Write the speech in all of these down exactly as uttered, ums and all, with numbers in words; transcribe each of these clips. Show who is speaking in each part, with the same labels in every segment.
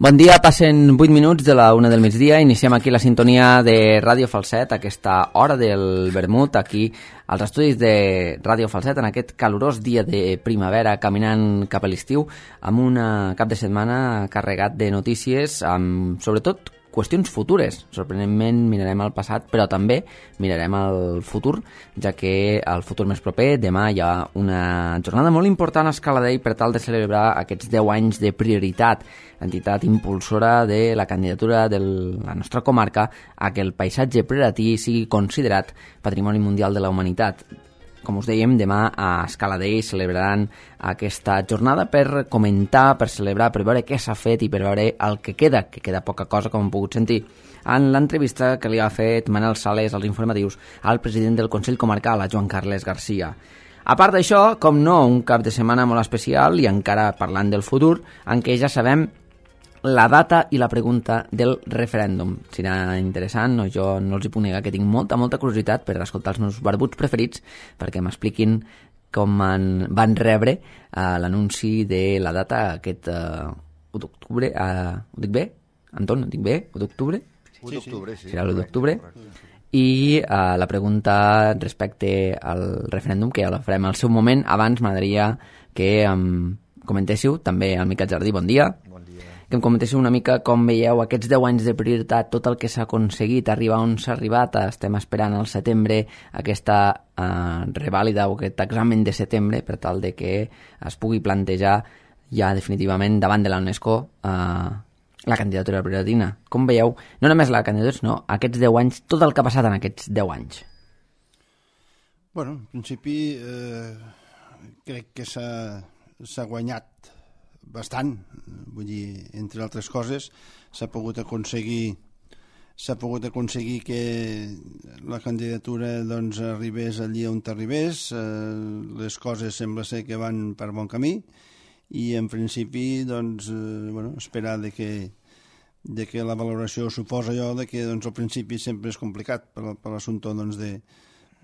Speaker 1: Bon dia, passen vuit minuts de la una del migdia. Iniciem aquí la sintonia de Ràdio Falset, aquesta hora del vermut, aquí als estudis de Ràdio Falset, en aquest calorós dia de primavera, caminant cap a l'estiu, amb un cap de setmana carregat de notícies, amb sobretot qüestions futures. Sorprenentment mirarem el passat, però també mirarem el futur, ja que el futur més proper, demà hi ha una jornada molt important a Escaladei per tal de celebrar aquests deu anys de prioritat, entitat impulsora de la candidatura de la nostra comarca a que el paisatge prioratí sigui considerat Patrimoni Mundial de la Humanitat. Com us dèiem, demà a Escaladei celebraran aquesta jornada per comentar, per celebrar, per veure què s'ha fet i per veure el que queda, que queda poca cosa, com hem pogut sentir en l'entrevista que li ha fet Manel Sales als informatius al president del Consell Comarcal, a Joan Carles Garcia. A part d'això, com no, un cap de setmana molt especial i encara parlant del futur, en què ja sabem la data i la pregunta del referèndum. Serà interessant, no? Jo no els hi puc negar que tinc molta, molta curiositat per escoltar els meus barbuts preferits perquè m'expliquin com en van rebre uh, l'anunci de la data aquest uh, u d'octubre. Uh, ho dic bé? Anton, ho dic bé? u d'octubre?
Speaker 2: u d'octubre, sí.
Speaker 1: Serà l'u d'octubre. I uh, la pregunta respecte al referèndum, que ja la farem al seu moment. Abans m'agradaria que um, comentéssiu, també al Miquel Jardí, bon dia. Que em comentéssiu una mica com veieu aquests deu anys de prioritat, tot el que s'ha aconseguit, arribar on s'ha arribat. Estem esperant al setembre aquesta eh, revàlida o aquest examen de setembre per tal de que es pugui plantejar ja definitivament davant de la UNESCO eh, la candidatura prioritatina. Com veieu, no només la candidatura, sinó aquests deu anys, tot el que ha passat en aquests deu anys?
Speaker 2: Bueno, en principi eh, crec que s'ha, s'ha guanyat bastant, vull dir, entre altres coses, s'ha pogut aconseguir s'ha pogut aconseguir que la candidatura doncs arribés allí on arribés, eh, les coses sembla ser que van per bon camí i en principi doncs, eh, bueno, esperar de que, de que la valoració suposa allò de que doncs, al principi sempre és complicat per, per l'assumpte doncs, de,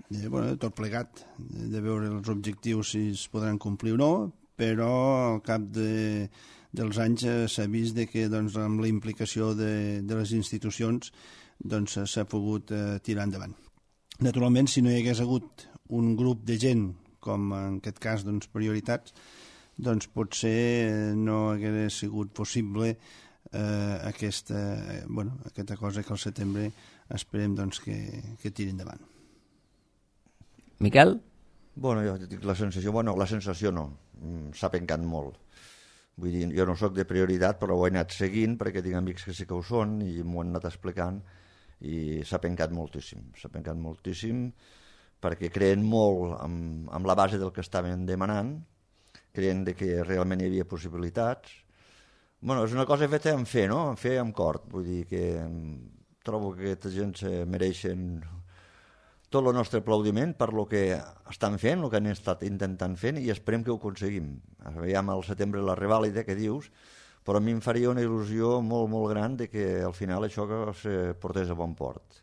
Speaker 2: de, bueno, de tot plegat, de, de veure els objectius si es podran complir o no, però al cap de, dels anys eh, s'ha vist de que doncs, amb la implicació de, de les institucions doncs, s'ha pogut eh, tirar endavant. Naturalment, si no hi hagués hagut un grup de gent, com en aquest cas doncs, prioritats, doncs potser no hagués sigut possible eh, aquesta, eh, bueno, aquesta cosa que al setembre esperem doncs, que, que tiri endavant.
Speaker 1: Miquel?
Speaker 3: Bueno, jo dic la sensació, bueno, la sensació no, s'ha pencat molt. Vull dir, jo no sóc de prioritat, però ho he anat seguint perquè tinc amics que sí que ho són i m'ho han anat explicant i s'ha pencat moltíssim, s'ha pencat moltíssim perquè creen molt amb, amb la base del que estaven demanant, creien de que realment hi havia possibilitats. Bueno, és una cosa feta en fer, no? En fer amb cor. Vull dir que trobo que aquesta gent se mereixen tot el nostre aplaudiment per lo que estan fent, el que han estat intentant fent, i esperem que ho aconseguim. Veiem al setembre la revàlida que dius, però a mi em faria una il·lusió molt, molt gran de que al final això que se portés a bon port.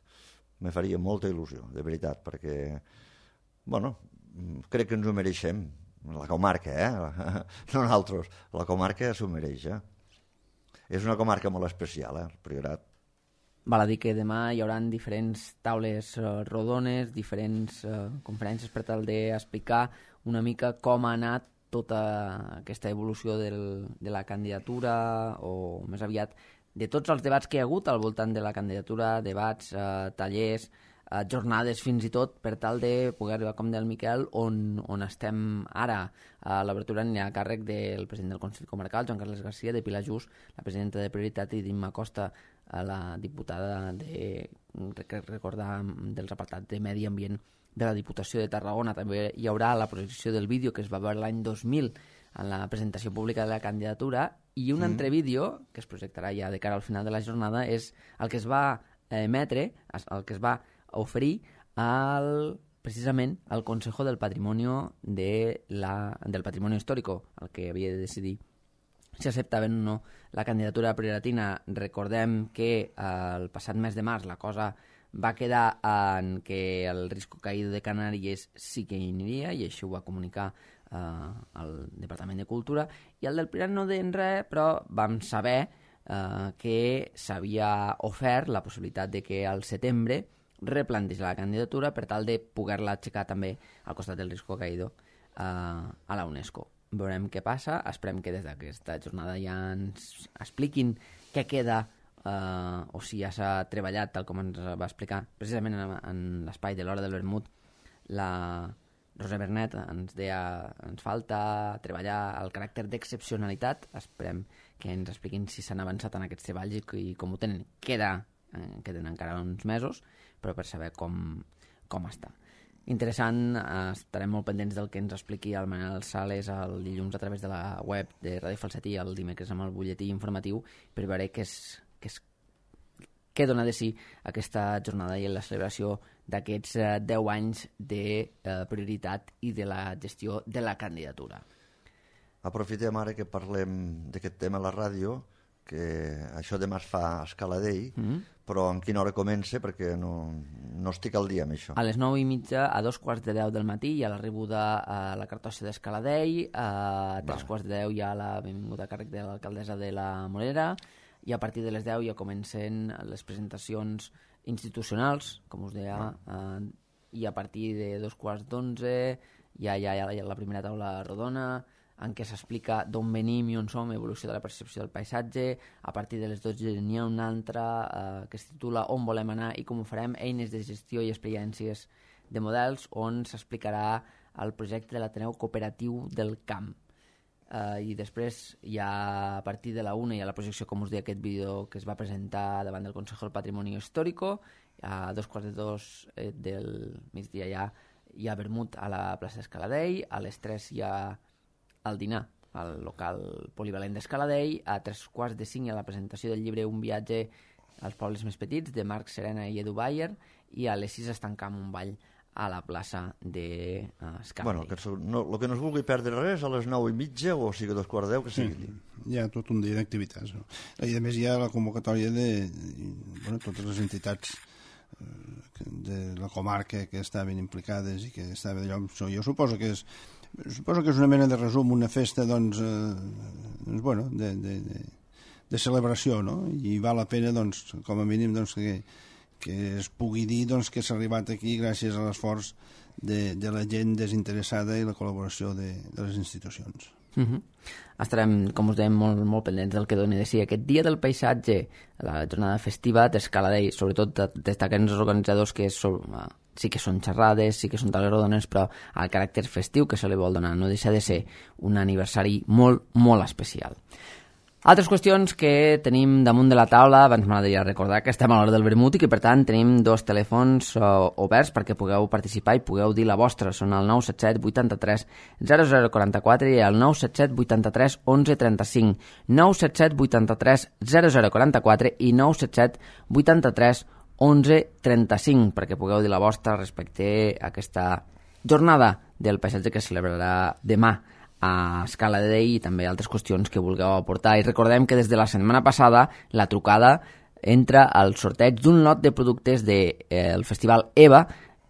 Speaker 3: Me faria molta il·lusió, de veritat, perquè, bueno, crec que ens ho mereixem. La comarca, eh? No nosaltres. La comarca s'ho mereix, eh? És una comarca molt especial, eh? El Priorat.
Speaker 1: Val a dir que demà hi haurà diferents taules uh, rodones, diferents uh, conferències per tal d'explicar una mica com ha anat tota aquesta evolució del, de la candidatura, o més aviat de tots els debats que hi ha hagut al voltant de la candidatura, debats, uh, tallers, uh, jornades fins i tot, per tal de poder arribar, com del Miquel, on, on estem ara. Uh, L'obertura anirà a càrrec del president del Consell Comarcal, Joan Carles Garcia, de Pilar Just, la presidenta de Prioritat, i d'Imma Costa, a la diputada de, recordar, dels apartats de Medi Ambient de la Diputació de Tarragona. També hi haurà la projecció del vídeo que es va veure l'any dos mil en la presentació pública de la candidatura, i un mm. altre vídeo que es projectarà ja de cara al final de la jornada és el que es va emetre, el que es va oferir al, precisament al Consejo del Patrimonio de la, del Patrimonio Histórico, el que havia de decidir si acceptaven o no la candidatura prioritina. Recordem que eh, el passat mes de març la cosa va quedar en que el Risco Caído de Canàries sí que hi aniria, i això ho va comunicar eh, al Departament de Cultura, i el del Pirat no deien res, però vam saber eh, que s'havia ofert la possibilitat de que al setembre replantejar la candidatura per tal de poder-la aixecar també al costat del Risco Caído eh, a la UNESCO. Veurem què passa, esperem que des d'aquesta jornada ja ens expliquin què queda eh, o si ja s'ha treballat, tal com ens va explicar precisament en, en l'espai de l'Hora del Vermut. La Rosa Bernet ens deia ens falta treballar el caràcter d'excepcionalitat. Esperem que ens expliquin si s'han avançat en aquests treballs i, i com ho tenen. Queda, eh, queden encara uns mesos, però per saber com, com està. Interessant, eh, estarem molt pendents del que ens expliqui el Manel Sales el dilluns a través de la web de Ràdio Falset i el dimecres amb el butlletí informatiu per veure què és, què és què dona de si aquesta jornada i la celebració d'aquests eh, deu anys de eh, prioritat i de la gestió de la candidatura.
Speaker 3: Aprofitem ara que parlem d'aquest tema a la ràdio, que això demà es fa a Escaladell, mm-hmm. però en quina hora comença? Perquè no, no estic al dia amb això.
Speaker 1: A les nou i mitja, a dos quarts de deu del matí, hi ha l'arribuda a la cartossa d'Escaladell, a tres vale. quarts de deu hi ha la benvinguda a càrrec de l'alcaldessa de la Morera, i a partir de les deu ja comencen les presentacions institucionals, com us deia, vale. eh, i a partir de dos quarts d'onze ja hi ha, hi ha la primera taula rodona, en què s'explica d'on venim i on som, evolució de la percepció del paisatge. A partir de les dotze n'hi ha una altra eh, que es titula On volem anar i com ho farem, eines de gestió i experiències de models, on s'explicarà el projecte de l'Ateneu Cooperatiu del Camp. Eh, I després hi ha, a partir de la una, hi ha la projecció, com us deia, aquest vídeo que es va presentar davant del Consejo del Patrimonio Histórico. A dos quarts de dos eh, del migdia hi ha, hi ha vermut a la plaça d'Escaladell, a les tres hi ha al dinar al local polivalent d'Escaladell, a tres quarts de cinc hi ha la presentació del llibre Un viatge als pobles més petits, de Marc Serena i Edu Bayer, i a les sis es tanca amb un ball a la plaça d'Escaladell.
Speaker 3: Bueno, que no, el que no es vulgui perdre res a les nou i mitja, o sigui a dos quarts de deu, que sigui.
Speaker 2: Sí, hi ha tot un dia d'activitats. No? I a més hi ha la convocatòria de bueno, totes les entitats de la comarca que estaven implicades i que estaven allò. Jo suposo que és Suposo que és una mena de resum, una festa doncs, eh, doncs bueno, de, de, de, de celebració, no? I val la pena, doncs, com a mínim, doncs, que, que es pugui dir doncs, que s'ha arribat aquí gràcies a l'esforç de, de la gent desinteressada i la col·laboració de, de les institucions.
Speaker 1: Uh-huh. Estarem, com us dèiem, molt, molt pendents del que doni de si aquest dia del paisatge, la jornada festiva d'Escaladell, sobretot destaquen els organitzadors que és, sí que són xerrades, sí que són taules rodones, però el caràcter festiu que se li vol donar no deixa de ser un aniversari molt, molt especial. Altres qüestions que tenim damunt de la taula, abans m'agradaria recordar que estem a l'hora del vermut i que per tant tenim dos telèfons uh, oberts perquè pugueu participar i pugueu dir la vostra. Són el nou set set vuitanta-tres zero zero quaranta-quatre i el nou set set vuitanta-tres onze trenta-cinc. nou set set vuitanta-tres zero zero quaranta-quatre i nou set set vuitanta-tres onze trenta-cinc perquè pugueu dir la vostra respecte a aquesta jornada del paisatge que es celebrarà demà a Escaladell i també altres qüestions que vulgueu aportar. I recordem que des de la setmana passada la trucada entra al sorteig d'un lot de productes del de, eh, Festival EVA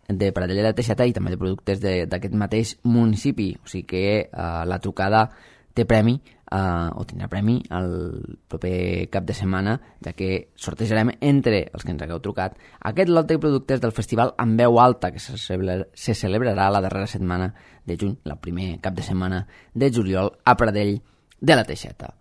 Speaker 1: de Pradellera de Teixeta i també de productes d'aquest mateix municipi. O sigui que eh, la trucada té premi eh, o tindrà premi el proper cap de setmana, ja que sortejarem entre els que ens hagueu trucat aquest lot de productes del Festival amb veu alta que se, celebra, se celebrarà la darrera setmana de juny, la primer cap de setmana de juliol a Pradell de la Teixeta.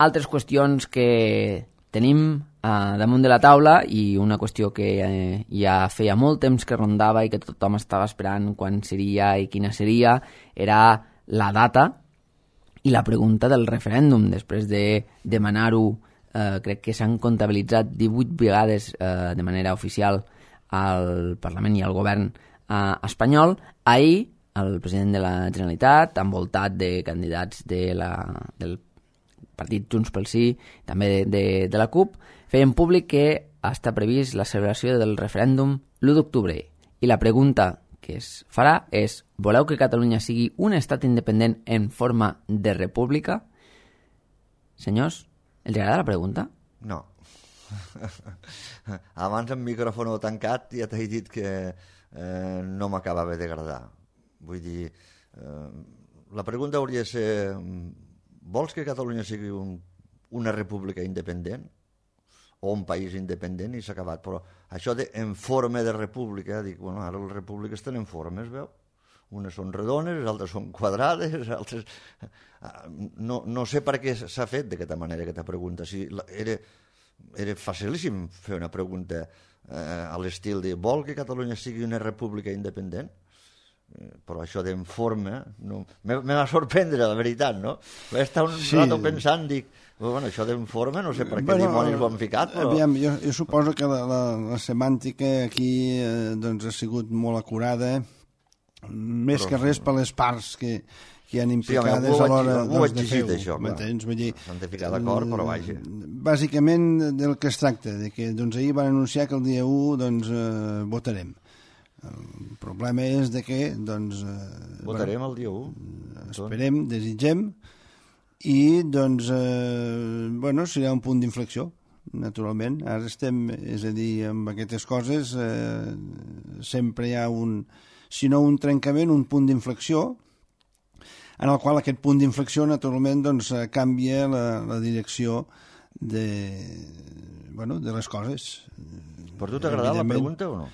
Speaker 1: Altres qüestions que tenim eh, damunt de la taula i una qüestió que eh, ja feia molt temps que rondava i que tothom estava esperant quan seria i quina seria era la data i la pregunta del referèndum. Després de demanar-ho, eh, crec que s'han comptabilitzat divuit vegades eh, de manera oficial al Parlament i al govern eh, espanyol. Ahir, el president de la Generalitat, envoltat de candidats de la, del partit Junts pel Sí, també de, de, de la CUP, feien públic que està previst la celebració del referèndum l'u d'octubre. I la pregunta que es farà és: voleu que Catalunya sigui un estat independent en forma de república? Senyors, els agrada la pregunta?
Speaker 3: No. Abans amb micròfon tancat ja t'he dit que eh, no m'acabava d'agradar. Vull dir, eh, la pregunta hauria de ser, vols que Catalunya sigui un, una república independent o un país independent i s'ha acabat? Però això de en forma de república, dic, bueno, ara les repúbliques tenen formes, veu? Unes són redones, les altres són quadrades, altres... No, no sé per què s'ha fet d'aquesta manera aquesta pregunta. Si era, era facilíssim fer una pregunta eh, a l'estil de vol que Catalunya sigui una república independent? Eh, però això d'en forma no, me, me va sorprendre, la veritat, no? Vaig estar un sí. rato pensant, dic, bueno, això d'en forma no sé per què bueno, dimonis ho han ficat, però...
Speaker 2: Aviam, jo, jo suposo que la, la, la semàntica aquí eh, doncs ha sigut molt acurada, més però, que res per les parts que, que hi han implicades sí, home, a l'hora doncs, de fer-ho.
Speaker 3: Això,
Speaker 2: m'entens? Vull dir,
Speaker 3: s'han de ficar d'acord, però vaja.
Speaker 2: Bàsicament del que es tracta, de que doncs, ahir van anunciar que el dia u doncs, eh, votarem. El problema és de que doncs, eh,
Speaker 3: votarem bueno, el dia u.
Speaker 2: Esperem, desitgem, i doncs, eh, bueno, serà un punt d'inflexió, naturalment. Ara estem, és a dir, amb aquestes coses eh, sempre hi ha un, si no un trencament, un punt d'inflexió, en el qual aquest punt d'inflexió, naturalment, doncs, canvia la, la direcció de, bueno, de les coses.
Speaker 3: Per tu t'ha agradat la pregunta o no?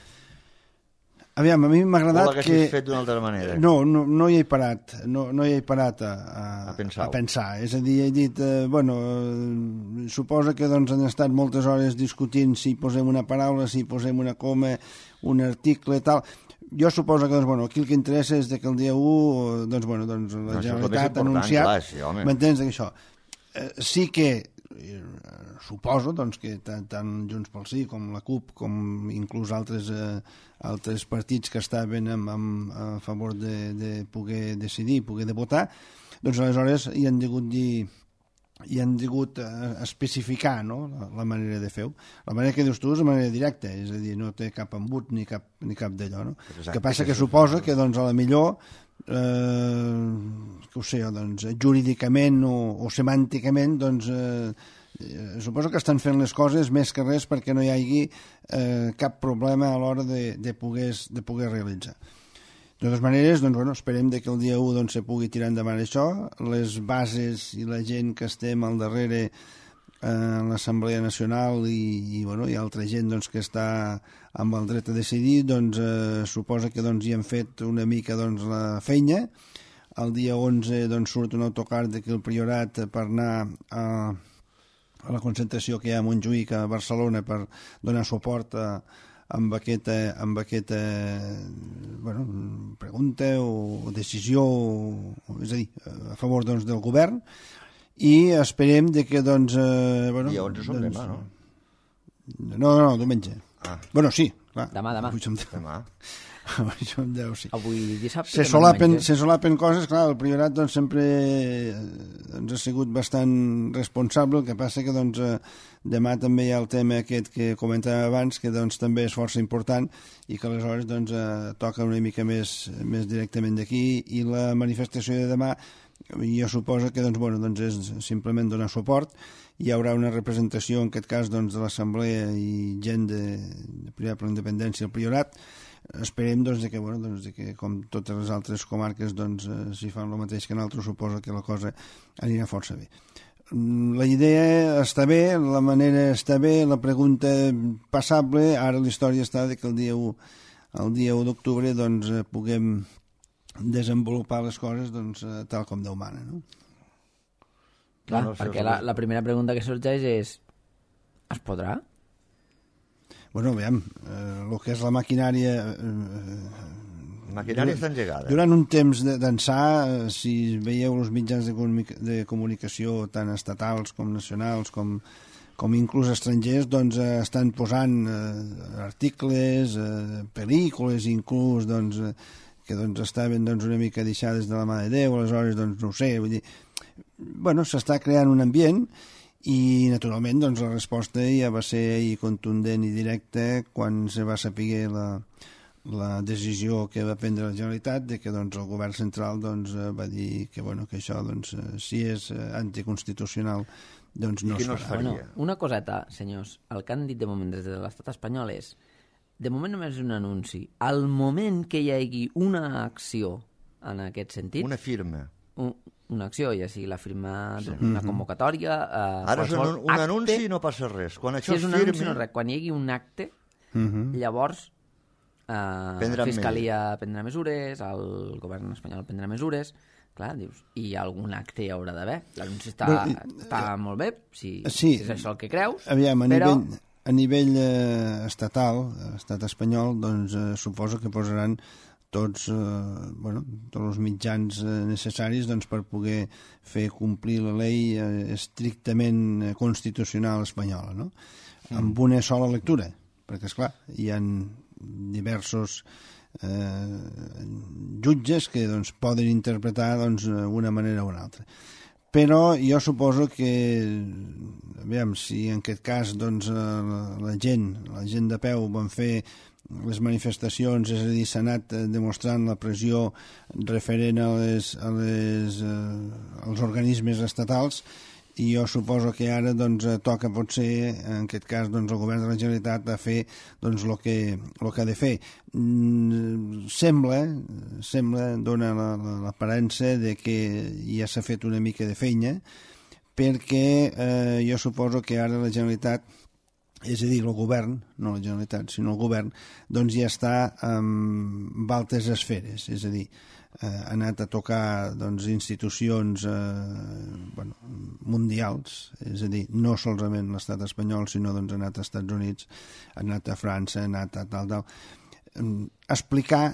Speaker 2: Aviam, a mi m'ha agradat que...
Speaker 3: O l'haguessis fet d'una altra manera?
Speaker 2: No, no, no hi he parat, no, no hi he parat a, a,
Speaker 3: a, pensar.
Speaker 2: a pensar. És a dir, he dit, eh, bueno, eh, suposa que doncs, han estat moltes hores discutint si posem una paraula, si posem una coma, un article, tal... Jo suposo que doncs, bueno, aquí el que interessa és que el dia u doncs, bueno, doncs, la no, Generalitat ha anunciat... Sí, m'entens això? Eh, sí que eh, suposo doncs, que tant, tant Junts pel Sí com la CUP com inclús altres, eh, altres partits que estaven amb, amb, a favor de, de poder decidir, poder de votar, doncs aleshores hi han degut dir... i han degut especificar no? la, la manera de fer-ho. La manera que dius tu és la manera directa, és a dir, no té cap embut ni cap, ni cap d'allò. No? El que passa que suposa que doncs, a la millor eh, que ho sé, doncs, jurídicament o, o semànticament doncs, eh, suposo que estan fent les coses més que res perquè no hi hagi eh, cap problema a l'hora de, de, poder, de poder realitzar. De totes maneres, doncs, bueno, esperem que el dia u doncs, se pugui tirar endavant això. Les bases i la gent que estem al darrere eh, en l'Assemblea Nacional i, i, bueno, i altra gent doncs, que està amb el dret a decidir, doncs, eh, suposa que doncs, hi han fet una mica doncs, la feina. El dia onze doncs, surt un autocar d'aquí al Priorat per anar a, a la concentració que hi ha a Montjuïc, a Barcelona, per donar suport a amb aquesta, amb aquesta bueno, pregunta o decisió, o, és a dir, a favor doncs, del govern, i esperem de que doncs... Eh, bueno,
Speaker 3: I onze són doncs, demà, no?
Speaker 2: No, no, diumenge. Ah. Bueno, sí, clar.
Speaker 1: Demà, demà.
Speaker 2: Demà. Això em deu, sí.
Speaker 1: Avui dissabte...
Speaker 2: Se solapen, se solapen coses, clar, el Priorat doncs, sempre doncs, ha sigut bastant responsable, el que passa que doncs, demà també hi ha el tema aquest que comentàvem abans, que doncs, també és força important i que aleshores doncs, toca una mica més, més directament d'aquí, i la manifestació de demà jo suposo que doncs, bueno, doncs és simplement donar suport. Hi haurà una representació, en aquest cas, doncs, de l'Assemblea i gent de, de Priorat per la Independència, el Priorat. Esperem doncs, que, bueno, doncs, que com totes les altres comarques doncs, eh, si fan el mateix que nosaltres, suposa que la cosa anirà força bé. La idea està bé, la manera està bé, la pregunta passable. Ara la història està de que el dia u, el dia u d'octubre doncs, puguem desenvolupar les coses doncs, tal com Déu mana, no?
Speaker 1: Clar, no, perquè la, la primera pregunta que sorgeix és: es podrà?
Speaker 2: Bueno, veiem, eh, el que és la maquinària... Eh,
Speaker 3: la maquinària està engegada.
Speaker 2: Durant un temps d'ençà, eh, si veieu els mitjans de, comunica de comunicació, tant estatals com nacionals, com, com inclús estrangers, doncs eh, estan posant eh, articles, eh, pel·lícules, inclús, doncs, eh, que doncs, estaven doncs, una mica deixades de la mà de Déu, aleshores, doncs, no ho sé, vull dir... Bueno, s'està creant un ambient. I, naturalment, doncs, la resposta ja va ser i contundent i directa quan se va saber la, la decisió que va prendre la Generalitat de que doncs, el govern central doncs, va dir que, bueno, que això, doncs, si és anticonstitucional, doncs no es farà.
Speaker 1: Bueno, una coseta, senyors. El que han dit de moment des de l'estat espanyol és: de moment només és un anunci. Al moment que hi hagi una acció en aquest sentit...
Speaker 3: Una firma.
Speaker 1: un, una acció, ja sigui la firma d'una sí. convocatòria... Eh,
Speaker 3: Ara és un, un
Speaker 1: acte,
Speaker 3: anunci i no passa res. Quan això
Speaker 1: si és un
Speaker 3: firmi...
Speaker 1: anunci no res. Quan hi hagi un acte, uh-huh. llavors eh, la Fiscalia més. prendrà mesures, el govern espanyol prendrà mesures, clar, dius, i algun acte hi haurà d'haver. L'anunci està, bueno, està uh, molt bé, si,
Speaker 2: sí,
Speaker 1: si és això el que creus,
Speaker 2: aviam, a
Speaker 1: però...
Speaker 2: Nivell... A nivell eh, estatal, estat espanyol, doncs eh, suposo que posaran tots, eh, bueno, tots els mitjans eh, necessaris doncs, per poder fer complir la llei eh, estrictament constitucional espanyola, no? Mm. Amb una sola lectura, perquè, esclar, hi ha diversos eh, jutges que doncs, poden interpretar doncs, una manera o una altra. Però jo suposo que, aviam, si en aquest cas doncs, la, la gent, la gent de peu van fer les manifestacions, és a dir, s'ha anat demostrant la pressió referent a les, a les, eh, als organismes estatals, i jo suposo que ara doncs, toca potser, en aquest cas, doncs, el govern de la Generalitat a fer doncs, el que, el que ha de fer. Mm, sembla, sembla, dona l'aparença de que ja s'ha fet una mica de feina, perquè eh, jo suposo que ara la Generalitat, és a dir, el govern, no la Generalitat, sinó el govern, doncs ja està en altres esferes, és a dir, eh, ha anat a tocar doncs, institucions eh, bueno, mundials, és a dir, no solament l'estat espanyol, sinó doncs, ha anat als Estats Units, ha anat a França, ha anat a tal, tal, eh, explicar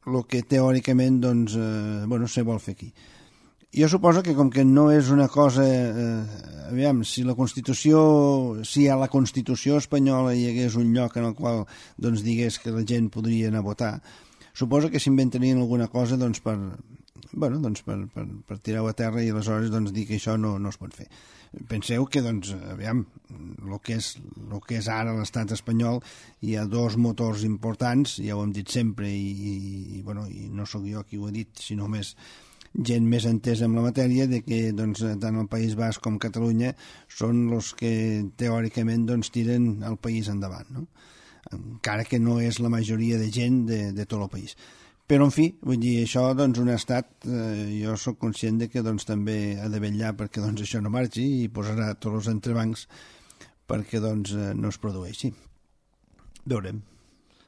Speaker 2: el que teòricament doncs, eh, bueno, se vol fer aquí. Jo suposo que com que no és una cosa... Eh, aviam, si la Constitució... Si a la Constitució espanyola hi hagués un lloc en el qual doncs, digués que la gent podria anar a votar, suposo que s'inventarien alguna cosa doncs, per, bueno, doncs, per, per, per tirar-ho a terra i aleshores doncs, dir que això no, no es pot fer. Penseu que, doncs, aviam, el que és, el que és ara l'estat espanyol, hi ha dos motors importants, ja ho hem dit sempre, i, i, i, bueno, i no sóc jo qui ho ha dit, sinó més gent més entesa en la matèria, de que doncs, tant el País Basc com Catalunya són els que teòricament doncs, tiren el país endavant, no? Encara que no és la majoria de gent de, de tot el país. Però, en fi, vull dir, això, doncs, un estat, eh, jo sóc conscient de que doncs, també ha de vetllar perquè doncs, això no marxi i posarà tots els entrebancs perquè doncs, no es produeixi. Veurem.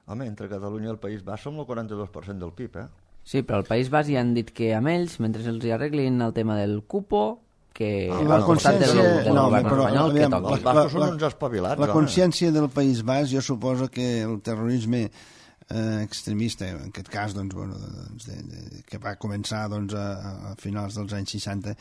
Speaker 3: Home, entre Catalunya i el País Basc som el quaranta-dos per cent del P I B, eh?
Speaker 1: Sí, però al País Basc ja han dit que amb ells, mentre els hi arreglin el tema del cupo, que
Speaker 2: ah, la consciència del, del
Speaker 1: no, govern
Speaker 2: però,
Speaker 1: espanyol,
Speaker 2: aviam,
Speaker 1: que toqui.
Speaker 3: Els bascos són uns espavilats.
Speaker 2: La consciència del País Basc, jo suposo que el terrorisme eh, extremista, en aquest cas, doncs, bueno, doncs, de, de, que va començar doncs, a, a finals dels anys seixanta,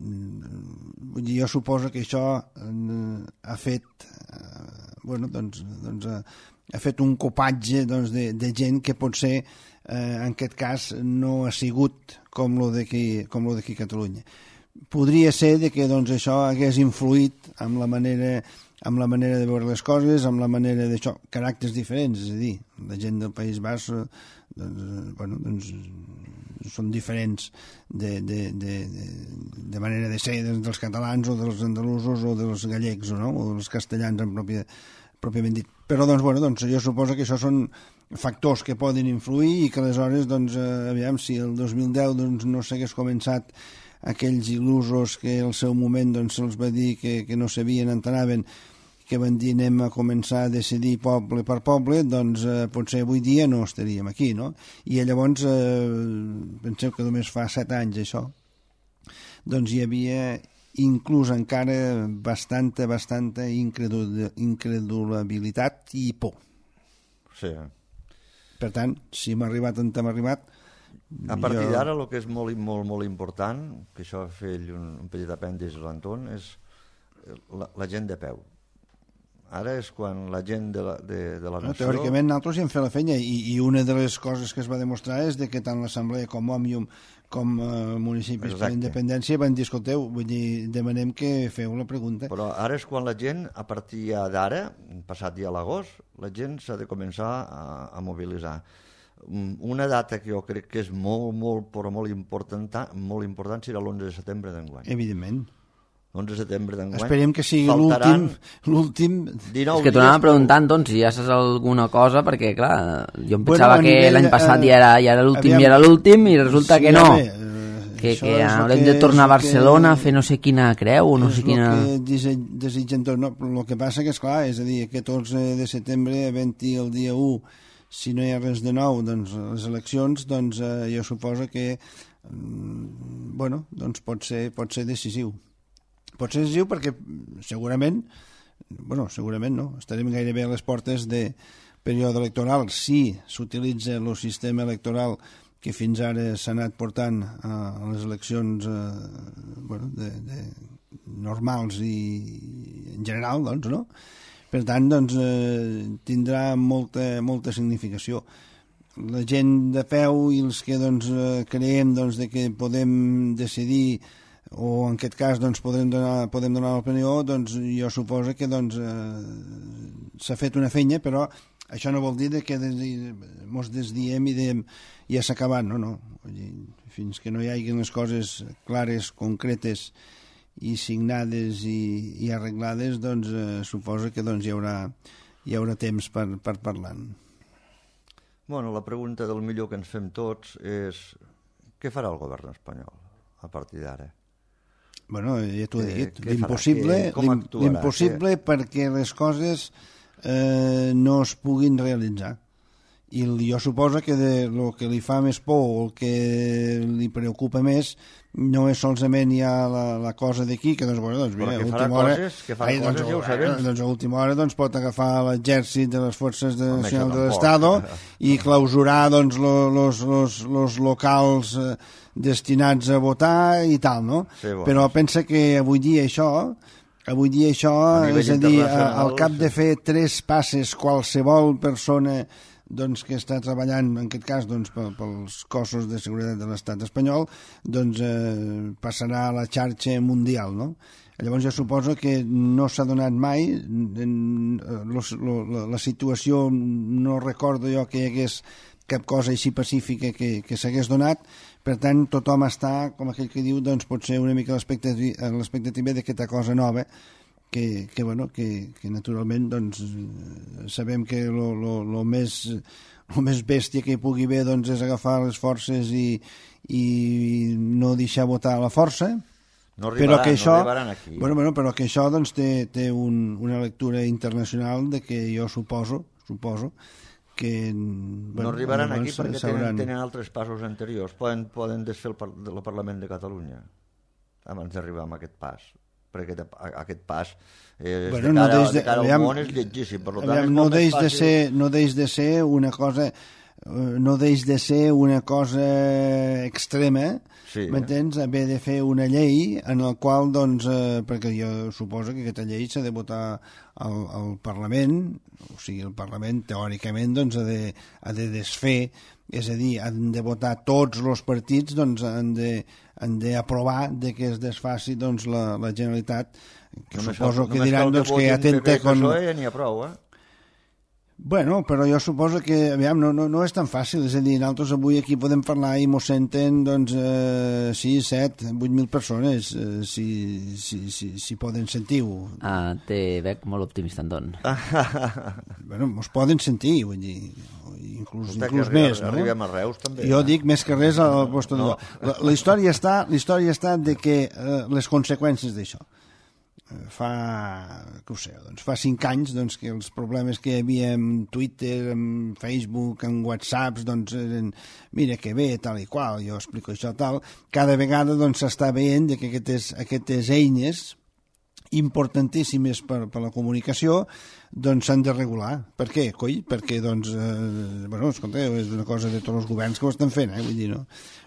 Speaker 2: vull dir, jo suposo que això eh, ha fet, eh, bueno, doncs, doncs, eh, ha fet un copatge doncs, de, de gent que potser Eh, en aquest cas no ha sigut com lo d'aquí com lo d'aquí a Catalunya. Podria ser de que doncs, això hagués influït amb la manera amb la manera de veure les coses, amb la manera d'això, caràcters diferents, és a dir, la gent del País Basc doncs, bueno, doncs, són diferents de, de, de, de, de manera de ser dels catalans o dels andalusos o dels gallecs o, no? O dels castellans en pròpia, pròpiament dit. Però doncs, bueno, doncs, jo suposo que això són factors que poden influir i que aleshores, doncs, eh, aviam, si el dos mil deu doncs, no s'hagués començat aquells il·lusos que al seu moment doncs, se'ls va dir que, que no sabien on anaven, que van dir anem a començar a decidir poble per poble, doncs eh, potser avui dia no estaríem aquí, no? I llavors, eh, penseu que només fa set anys això, doncs hi havia inclús encara bastanta, bastanta incredul incredulabilitat i por.
Speaker 3: Sí.
Speaker 2: Per tant, si hem arribat on hem arribat...
Speaker 3: A partir
Speaker 2: jo...
Speaker 3: d'ara, el que és molt, molt, molt important, que això va fer un, un petit apèndix a l'Anton, és la, la gent de peu. Ara és quan la gent de la, de, de la nació...
Speaker 2: No, teòricament, nosaltres hi hem fet la feina i, i una de les coses que es va demostrar és de que tant l'Assemblea com Òmnium com eh, municipis per independència van dir, escolteu, vull dir, demanem que feu la pregunta.
Speaker 3: Però ara és quan la gent, a partir d'ara, passat ja l'agost, la gent s'ha de començar a, a mobilitzar. Una data que jo crec que és molt, molt, però molt important, molt important serà l'onze de setembre d'enguany.
Speaker 2: Evidentment.
Speaker 3: l'onze de setembre d'enguany.
Speaker 2: Esperem que sigui l'últim... l'últim.
Speaker 1: És que t'anàvem preguntant, doncs, si ja saps alguna cosa, perquè, clar, jo em pensava bueno, que l'any passat ja era, ja era l'últim i era l'últim, i resulta sí, que no. Bé, uh, que Que, que haurem de tornar a Barcelona a fer no sé quina creu o no sé quina...
Speaker 2: És el que desitgen tots. No, el que passa que, esclar, és a dir, catorze de setembre, havent-hi el dia u, si no hi ha res de nou, doncs les eleccions, doncs eh, jo suposo que mm, bueno, doncs pot ser, pot ser decisiu. Pot ser decisiu perquè segurament, bueno, segurament no, estarem gairebé a les portes de període electoral si s'utilitza el sistema electoral que fins ara s'ha anat portant a les eleccions eh, bueno, de, de normals i en general, doncs, no? Per tant, doncs, eh, tindrà molta, molta significació. La gent de peu i els que doncs, eh, creiem doncs, de que podem decidir o en aquest cas doncs, podem donar, podem donar l'opinió, doncs jo suposo que doncs, eh, s'ha fet una feina, però això no vol dir que ens desdiem i diem ja s'ha acabat, no, no. Fins que no hi hagi les coses clares, concretes i signades i, i arreglades, doncs eh, suposo que doncs, hi, haurà, hi haurà temps per, per parlar-ne.
Speaker 3: Bueno, la pregunta del millor que ens fem tots és què farà el govern espanyol a partir d'ara?
Speaker 2: Bueno, ja t'ho he dit, l'impossible, l'impossible perquè les coses eh, no es puguin realitzar. I jo suposo que de, el que li fa més por o el que li preocupa més no és solament ja la, la cosa d'aquí, que doncs, bueno, doncs, mira,
Speaker 3: però que
Speaker 2: farà
Speaker 3: hora, coses, que farà ai, doncs, coses ja ho sabem.
Speaker 2: Doncs a última hora doncs, pot agafar l'exèrcit de les forces de nacionals de l'Estado i clausurar doncs, los, los, los, los locals eh, destinats a votar i tal, no? Sí, bueno. Però pensa que avui dia això... Avui dia això, és a dir, al cap de fer tres passes qualsevol persona doncs, que està treballant, en aquest cas, doncs, pels cossos de seguretat de l'estat espanyol, doncs eh, passarà a la xarxa mundial, no? Llavors jo suposo que no s'ha donat mai, en, los, lo, la situació, no recordo jo que hi hagués cap cosa així pacífica que, que s'hagués donat, per tant tothom està, com aquell que diu, doncs pot ser una mica l'expectativa d'aquesta cosa nova, que, que, bueno, que, que naturalment doncs, sabem que lo, lo, lo, més, lo més bèstia que hi pugui haver doncs, és agafar les forces i, i no deixar votar a la força,
Speaker 3: no arribaran,
Speaker 2: però que això,
Speaker 3: no arribaran aquí.
Speaker 2: Bueno, bueno, però que això doncs, té, té un, una lectura internacional de que jo suposo, suposo que... Bueno,
Speaker 3: no arribaran aquí perquè tenen, tenen altres passos anteriors. Poden, poden desfer el, par el Parlament de Catalunya abans d'arribar a aquest pas. Perquè aquest, aquest pas és, bueno, de cara, no de, de cara aviam, al món és lletgíssim. Per tant,
Speaker 2: aviam,
Speaker 3: és
Speaker 2: no, deix de ser, no deix de ser una cosa... no deix de ser una cosa extrema, sí, m'entens? Haver de fer una llei en la qual, doncs, eh, perquè jo suposo que aquesta llei s'ha de votar al, al Parlament, o sigui, el Parlament teòricament doncs, ha, de, ha de desfer, és a dir, han de votar tots els partits, doncs han de han d'aprovar de que es desfaci doncs, la, la Generalitat, que només suposo que diran doncs, que atenta con...
Speaker 3: N'hi ha prou, eh?
Speaker 2: Bueno, però jo suposo que, aviam, no, no, no és tan fàcil, és a dir, nosaltres avui aquí podem parlar i mos senten, doncs, eh, sis, set, vuit mil persones, eh, si, si, si, si poden sentir-ho.
Speaker 1: Ah, te veig molt optimista, Anton.
Speaker 2: Bueno, mos poden sentir, vull dir, inclús, inclús
Speaker 3: arriba,
Speaker 2: més, no?
Speaker 3: Arribem a Reus, també.
Speaker 2: Jo eh? dic més que res al vostre no. la, la història està, la història està de que eh, les conseqüències d'això. Fa, què ho sé, doncs fa cinc anys doncs, que els problemes que hi havia en Twitter, en Facebook, en WhatsApps, doncs eren, mira que bé, tal i qual, jo explico això tal, cada vegada doncs s'està veient que aquestes, aquestes eines importantíssimes per, per la comunicació doncs s'han de regular. Per què, coi? Perquè, doncs, eh, bueno, escolta, és una cosa de tots els governs que ho estan fent, eh? Vull dir, no?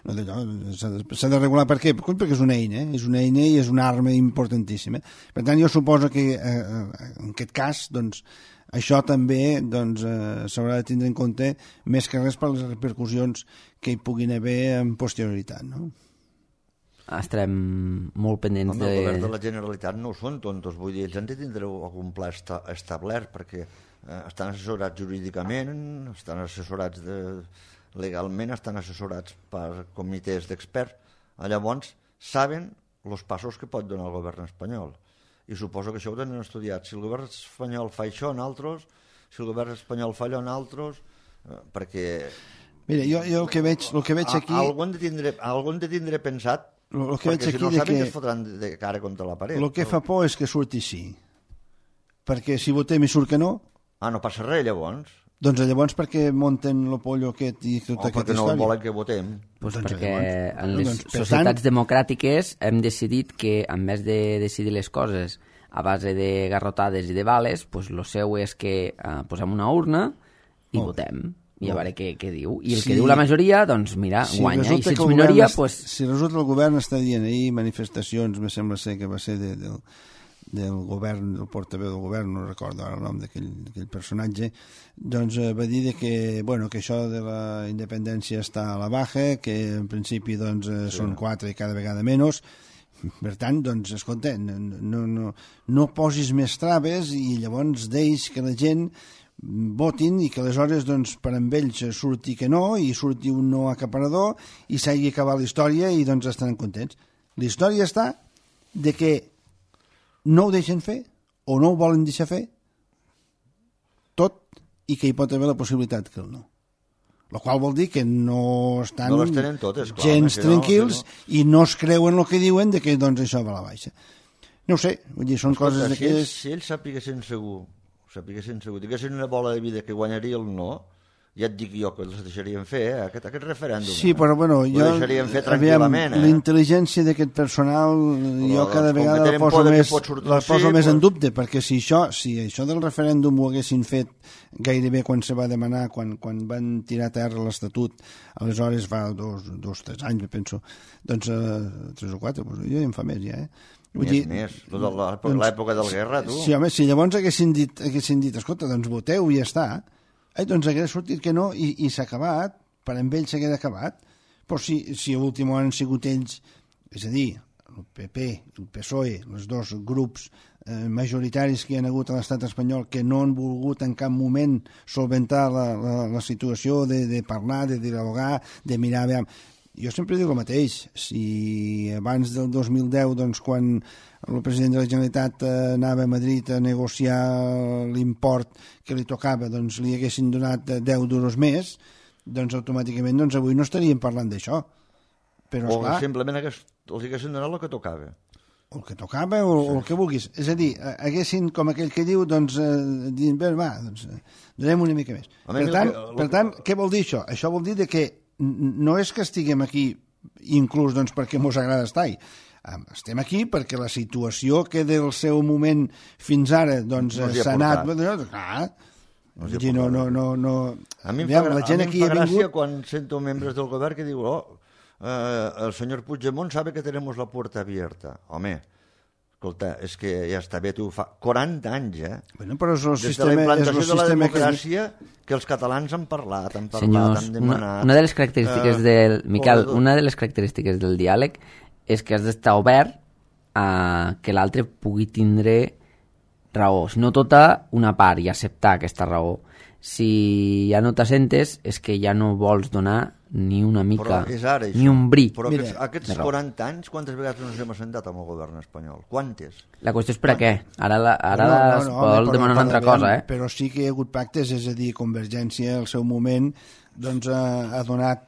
Speaker 2: no s'ha de, de regular per què? Perquè és una eina, eh? És una eina i és una arma importantíssima. Per tant, jo suposo que eh, en aquest cas, doncs, això també doncs, eh, s'haurà de tindre en compte més que res per les repercussions que hi puguin haver en posterioritat, no?
Speaker 1: Estarem molt pendents
Speaker 3: Home,
Speaker 1: de...
Speaker 3: El govern de la Generalitat no ho són tontos, vull dir, ells han de tindre algun pla esta establert, perquè eh, estan assessorats jurídicament, estan assessorats de... legalment, estan assessorats per comitès d'experts, llavors saben els passos que pot donar el govern espanyol. I suposo que això ho tenen estudiat. Si el govern espanyol fa això en altres, si el govern espanyol fa allò en altres, eh, perquè...
Speaker 2: Mira, jo, jo el que veig, el que veig aquí...
Speaker 3: Algú hem de tindre, algú hem de tindre pensat,
Speaker 2: el que veig
Speaker 3: perquè si
Speaker 2: aquí
Speaker 3: no
Speaker 2: de
Speaker 3: saben
Speaker 2: que...
Speaker 3: que es fotran de cara contra la paret.
Speaker 2: El que fa por és que surti sí. Perquè si votem i surt que no...
Speaker 3: Ah, no passa res, llavors?
Speaker 2: Doncs llavors per què munten el pollo aquest i tota
Speaker 3: O
Speaker 2: aquesta
Speaker 3: perquè no
Speaker 2: història?
Speaker 3: volen que votem.
Speaker 1: Pues
Speaker 2: Doncs
Speaker 1: perquè
Speaker 2: llavors,
Speaker 1: en les
Speaker 2: doncs, per
Speaker 1: societats
Speaker 2: tant-
Speaker 1: democràtiques hem decidit que en vez de decidir les coses a base de garrotades i de bales, pues lo seu és que eh, posem una urna i
Speaker 2: Molt
Speaker 1: votem. I a
Speaker 2: Molt
Speaker 1: veure què, què diu. I el
Speaker 2: Si-
Speaker 1: que diu la majoria, doncs mira,
Speaker 2: Si
Speaker 1: guanya. I
Speaker 2: resulta
Speaker 1: si
Speaker 2: que
Speaker 1: ets
Speaker 2: el
Speaker 1: minoria,
Speaker 2: govern es-
Speaker 1: pues...
Speaker 2: Si resulta que el govern està dient ahir manifestacions, me sembla ser que va ser de, del, del govern, del portaveu del govern, no recordo ara el nom d'aquell personatge, doncs eh, va dir de que, bueno, que això de la independència està a la baja, que en principi doncs, eh, sí. són quatre i cada vegada menys. Per tant, doncs, escolta, no, no, no, no posis més traves i llavors deix que la gent votin i que aleshores doncs, per amb ells surti que no i surti un no acaparador i s'hagi acabat la història i doncs estaran contents. La història està de que no ho deixen fer o no ho volen deixar fer tot i que hi pot haver la possibilitat que el no. La qual vol dir que no estan
Speaker 3: No les tenen totes, clar,
Speaker 2: gens
Speaker 3: home, que no,
Speaker 2: tranquils
Speaker 3: que no.
Speaker 2: i no es creuen el que diuen de que doncs això va a la baixa. No ho sé, vull dir, són
Speaker 3: Escolta,
Speaker 2: coses
Speaker 3: si
Speaker 2: d'aquelles...
Speaker 3: ells, si ells sapiguessin segur, sapiguessin segur, diguessin una bola de vida que guanyaria el no, ja et dic jo que els deixarien fer, eh? aquest, aquest referèndum.
Speaker 2: Sí,
Speaker 3: eh?
Speaker 2: però bueno,
Speaker 3: Ho
Speaker 2: jo...
Speaker 3: deixarien fer
Speaker 2: aviam,
Speaker 3: tranquil·lament, eh?
Speaker 2: la intel·ligència d'aquest personal jo cada
Speaker 3: com que
Speaker 2: vegada la
Speaker 3: tenen
Speaker 2: poso,
Speaker 3: por de que
Speaker 2: més,
Speaker 3: pot sortir
Speaker 2: la
Speaker 3: sí,
Speaker 2: poso més
Speaker 3: pues-
Speaker 2: en dubte, perquè si això, si això del referèndum ho haguessin fet gairebé quan se va demanar, quan, quan van tirar a terra l'Estatut, aleshores fa dos, dos tres anys, penso, doncs eh, tres o quatre, doncs, jo ja en fa més ja, eh? Vull
Speaker 3: Més,
Speaker 2: dir,
Speaker 3: més. Lo de la-
Speaker 2: doncs,
Speaker 3: l'època del guerra, tu.
Speaker 2: Sí, home, si llavors haguessin dit, haguessin dit escolta, doncs voteu i ja està, eh, doncs hagués sortit que no i, i s'ha acabat, per amb ells s'hagués acabat. Però si, si a l'últim han sigut ells, és a dir, el P P, el P S O E, els dos grups eh, majoritaris que hi ha hagut a l'estat espanyol que no han volgut en cap moment solventar la, la, la situació de, de parlar, de dialogar, de mirar... Aviam. Jo sempre dic el mateix, si abans del dos mil deu, doncs, quan el president de la Generalitat eh, anava a Madrid a negociar l'import que li tocava, doncs li haguessin donat deu duros més, doncs automàticament doncs, avui no estaríem parlant d'això. Però,
Speaker 3: O
Speaker 2: esclar,
Speaker 3: simplement hagués, els haguessin donat el que tocava.
Speaker 2: el que tocava o, o el que vulguis. És a dir, eh, haguessin, com aquell que diu, doncs, eh, dient, bé, va, doncs, eh, donem una mica més.
Speaker 3: A
Speaker 2: Per
Speaker 3: mi el
Speaker 2: tant,
Speaker 3: que- el
Speaker 2: per
Speaker 3: que-
Speaker 2: tant, què vol dir això? Això vol dir de que n- no és que estiguem aquí inclús doncs, perquè mos agrada estar-hi. Em, Estem aquí perquè la situació que del seu moment fins ara doncs,
Speaker 3: No s'hi ha
Speaker 2: s'ha anat...
Speaker 3: portat.
Speaker 2: Doncs, ah,
Speaker 3: No s'hi ha
Speaker 2: vull dir, no, no,
Speaker 3: portat.
Speaker 2: no, no...
Speaker 3: A mi em
Speaker 2: Aviam,
Speaker 3: fa,
Speaker 2: la gent
Speaker 3: a mi
Speaker 2: aquí
Speaker 3: em fa
Speaker 2: ha
Speaker 3: gràcia
Speaker 2: vingut...
Speaker 3: quan sento membres del govern que diuen oh, eh, el senyor Puigdemont sabe que tenemos la puerta abierta. Home, escolta, és que ja està bé, tu fa quaranta anys, eh?
Speaker 2: Bueno, però és el
Speaker 3: Des de la
Speaker 2: sistema, és el
Speaker 3: implantació de la
Speaker 2: sistema que...
Speaker 3: democràcia que els catalans han parlat, han parlat,
Speaker 1: Senyors,
Speaker 3: han
Speaker 1: una,
Speaker 3: demanat...
Speaker 1: una de les característiques
Speaker 3: eh,
Speaker 1: del... Miquel,
Speaker 3: corredor.
Speaker 1: una de les característiques del diàleg és que has d'estar obert a que l'altre pugui tindre raó. Si no tota, una part i acceptar aquesta raó. Si ja no t'assentes és que ja no vols donar ni una mica,
Speaker 3: Però és ara, això.
Speaker 1: ni un bri.
Speaker 3: Però
Speaker 2: Mira,
Speaker 3: aquests, aquests
Speaker 1: de raó.
Speaker 3: quaranta anys, quantes vegades no ens hem assentat amb el govern espanyol? Quantes?
Speaker 1: La qüestió és per a què? Ara, la, ara
Speaker 2: No, no,
Speaker 1: es
Speaker 2: no,
Speaker 1: vol
Speaker 2: home, però-
Speaker 1: demanar una altra
Speaker 2: però,
Speaker 1: cosa, eh?
Speaker 2: Però sí que hi ha hagut pactes, és a dir, Convergència al seu moment doncs, ha, ha donat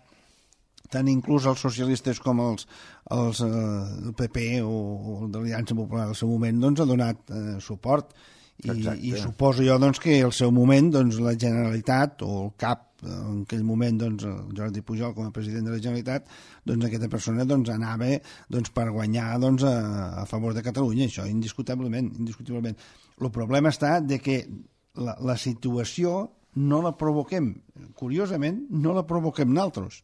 Speaker 2: tant inclús els socialistes com els, els eh, el P P o, o el d'Aliança Popular al seu moment doncs, ha donat eh, suport i,
Speaker 3: Exacte.
Speaker 2: i suposo jo doncs, que al seu moment doncs, la Generalitat o el cap en aquell moment doncs, el Jordi Pujol com a president de la Generalitat doncs aquesta persona doncs, anava doncs, per guanyar doncs, a, a favor de Catalunya, això indiscutiblement, indiscutiblement. El problema està de que la, la situació no la provoquem, curiosament no la provoquem nosaltres,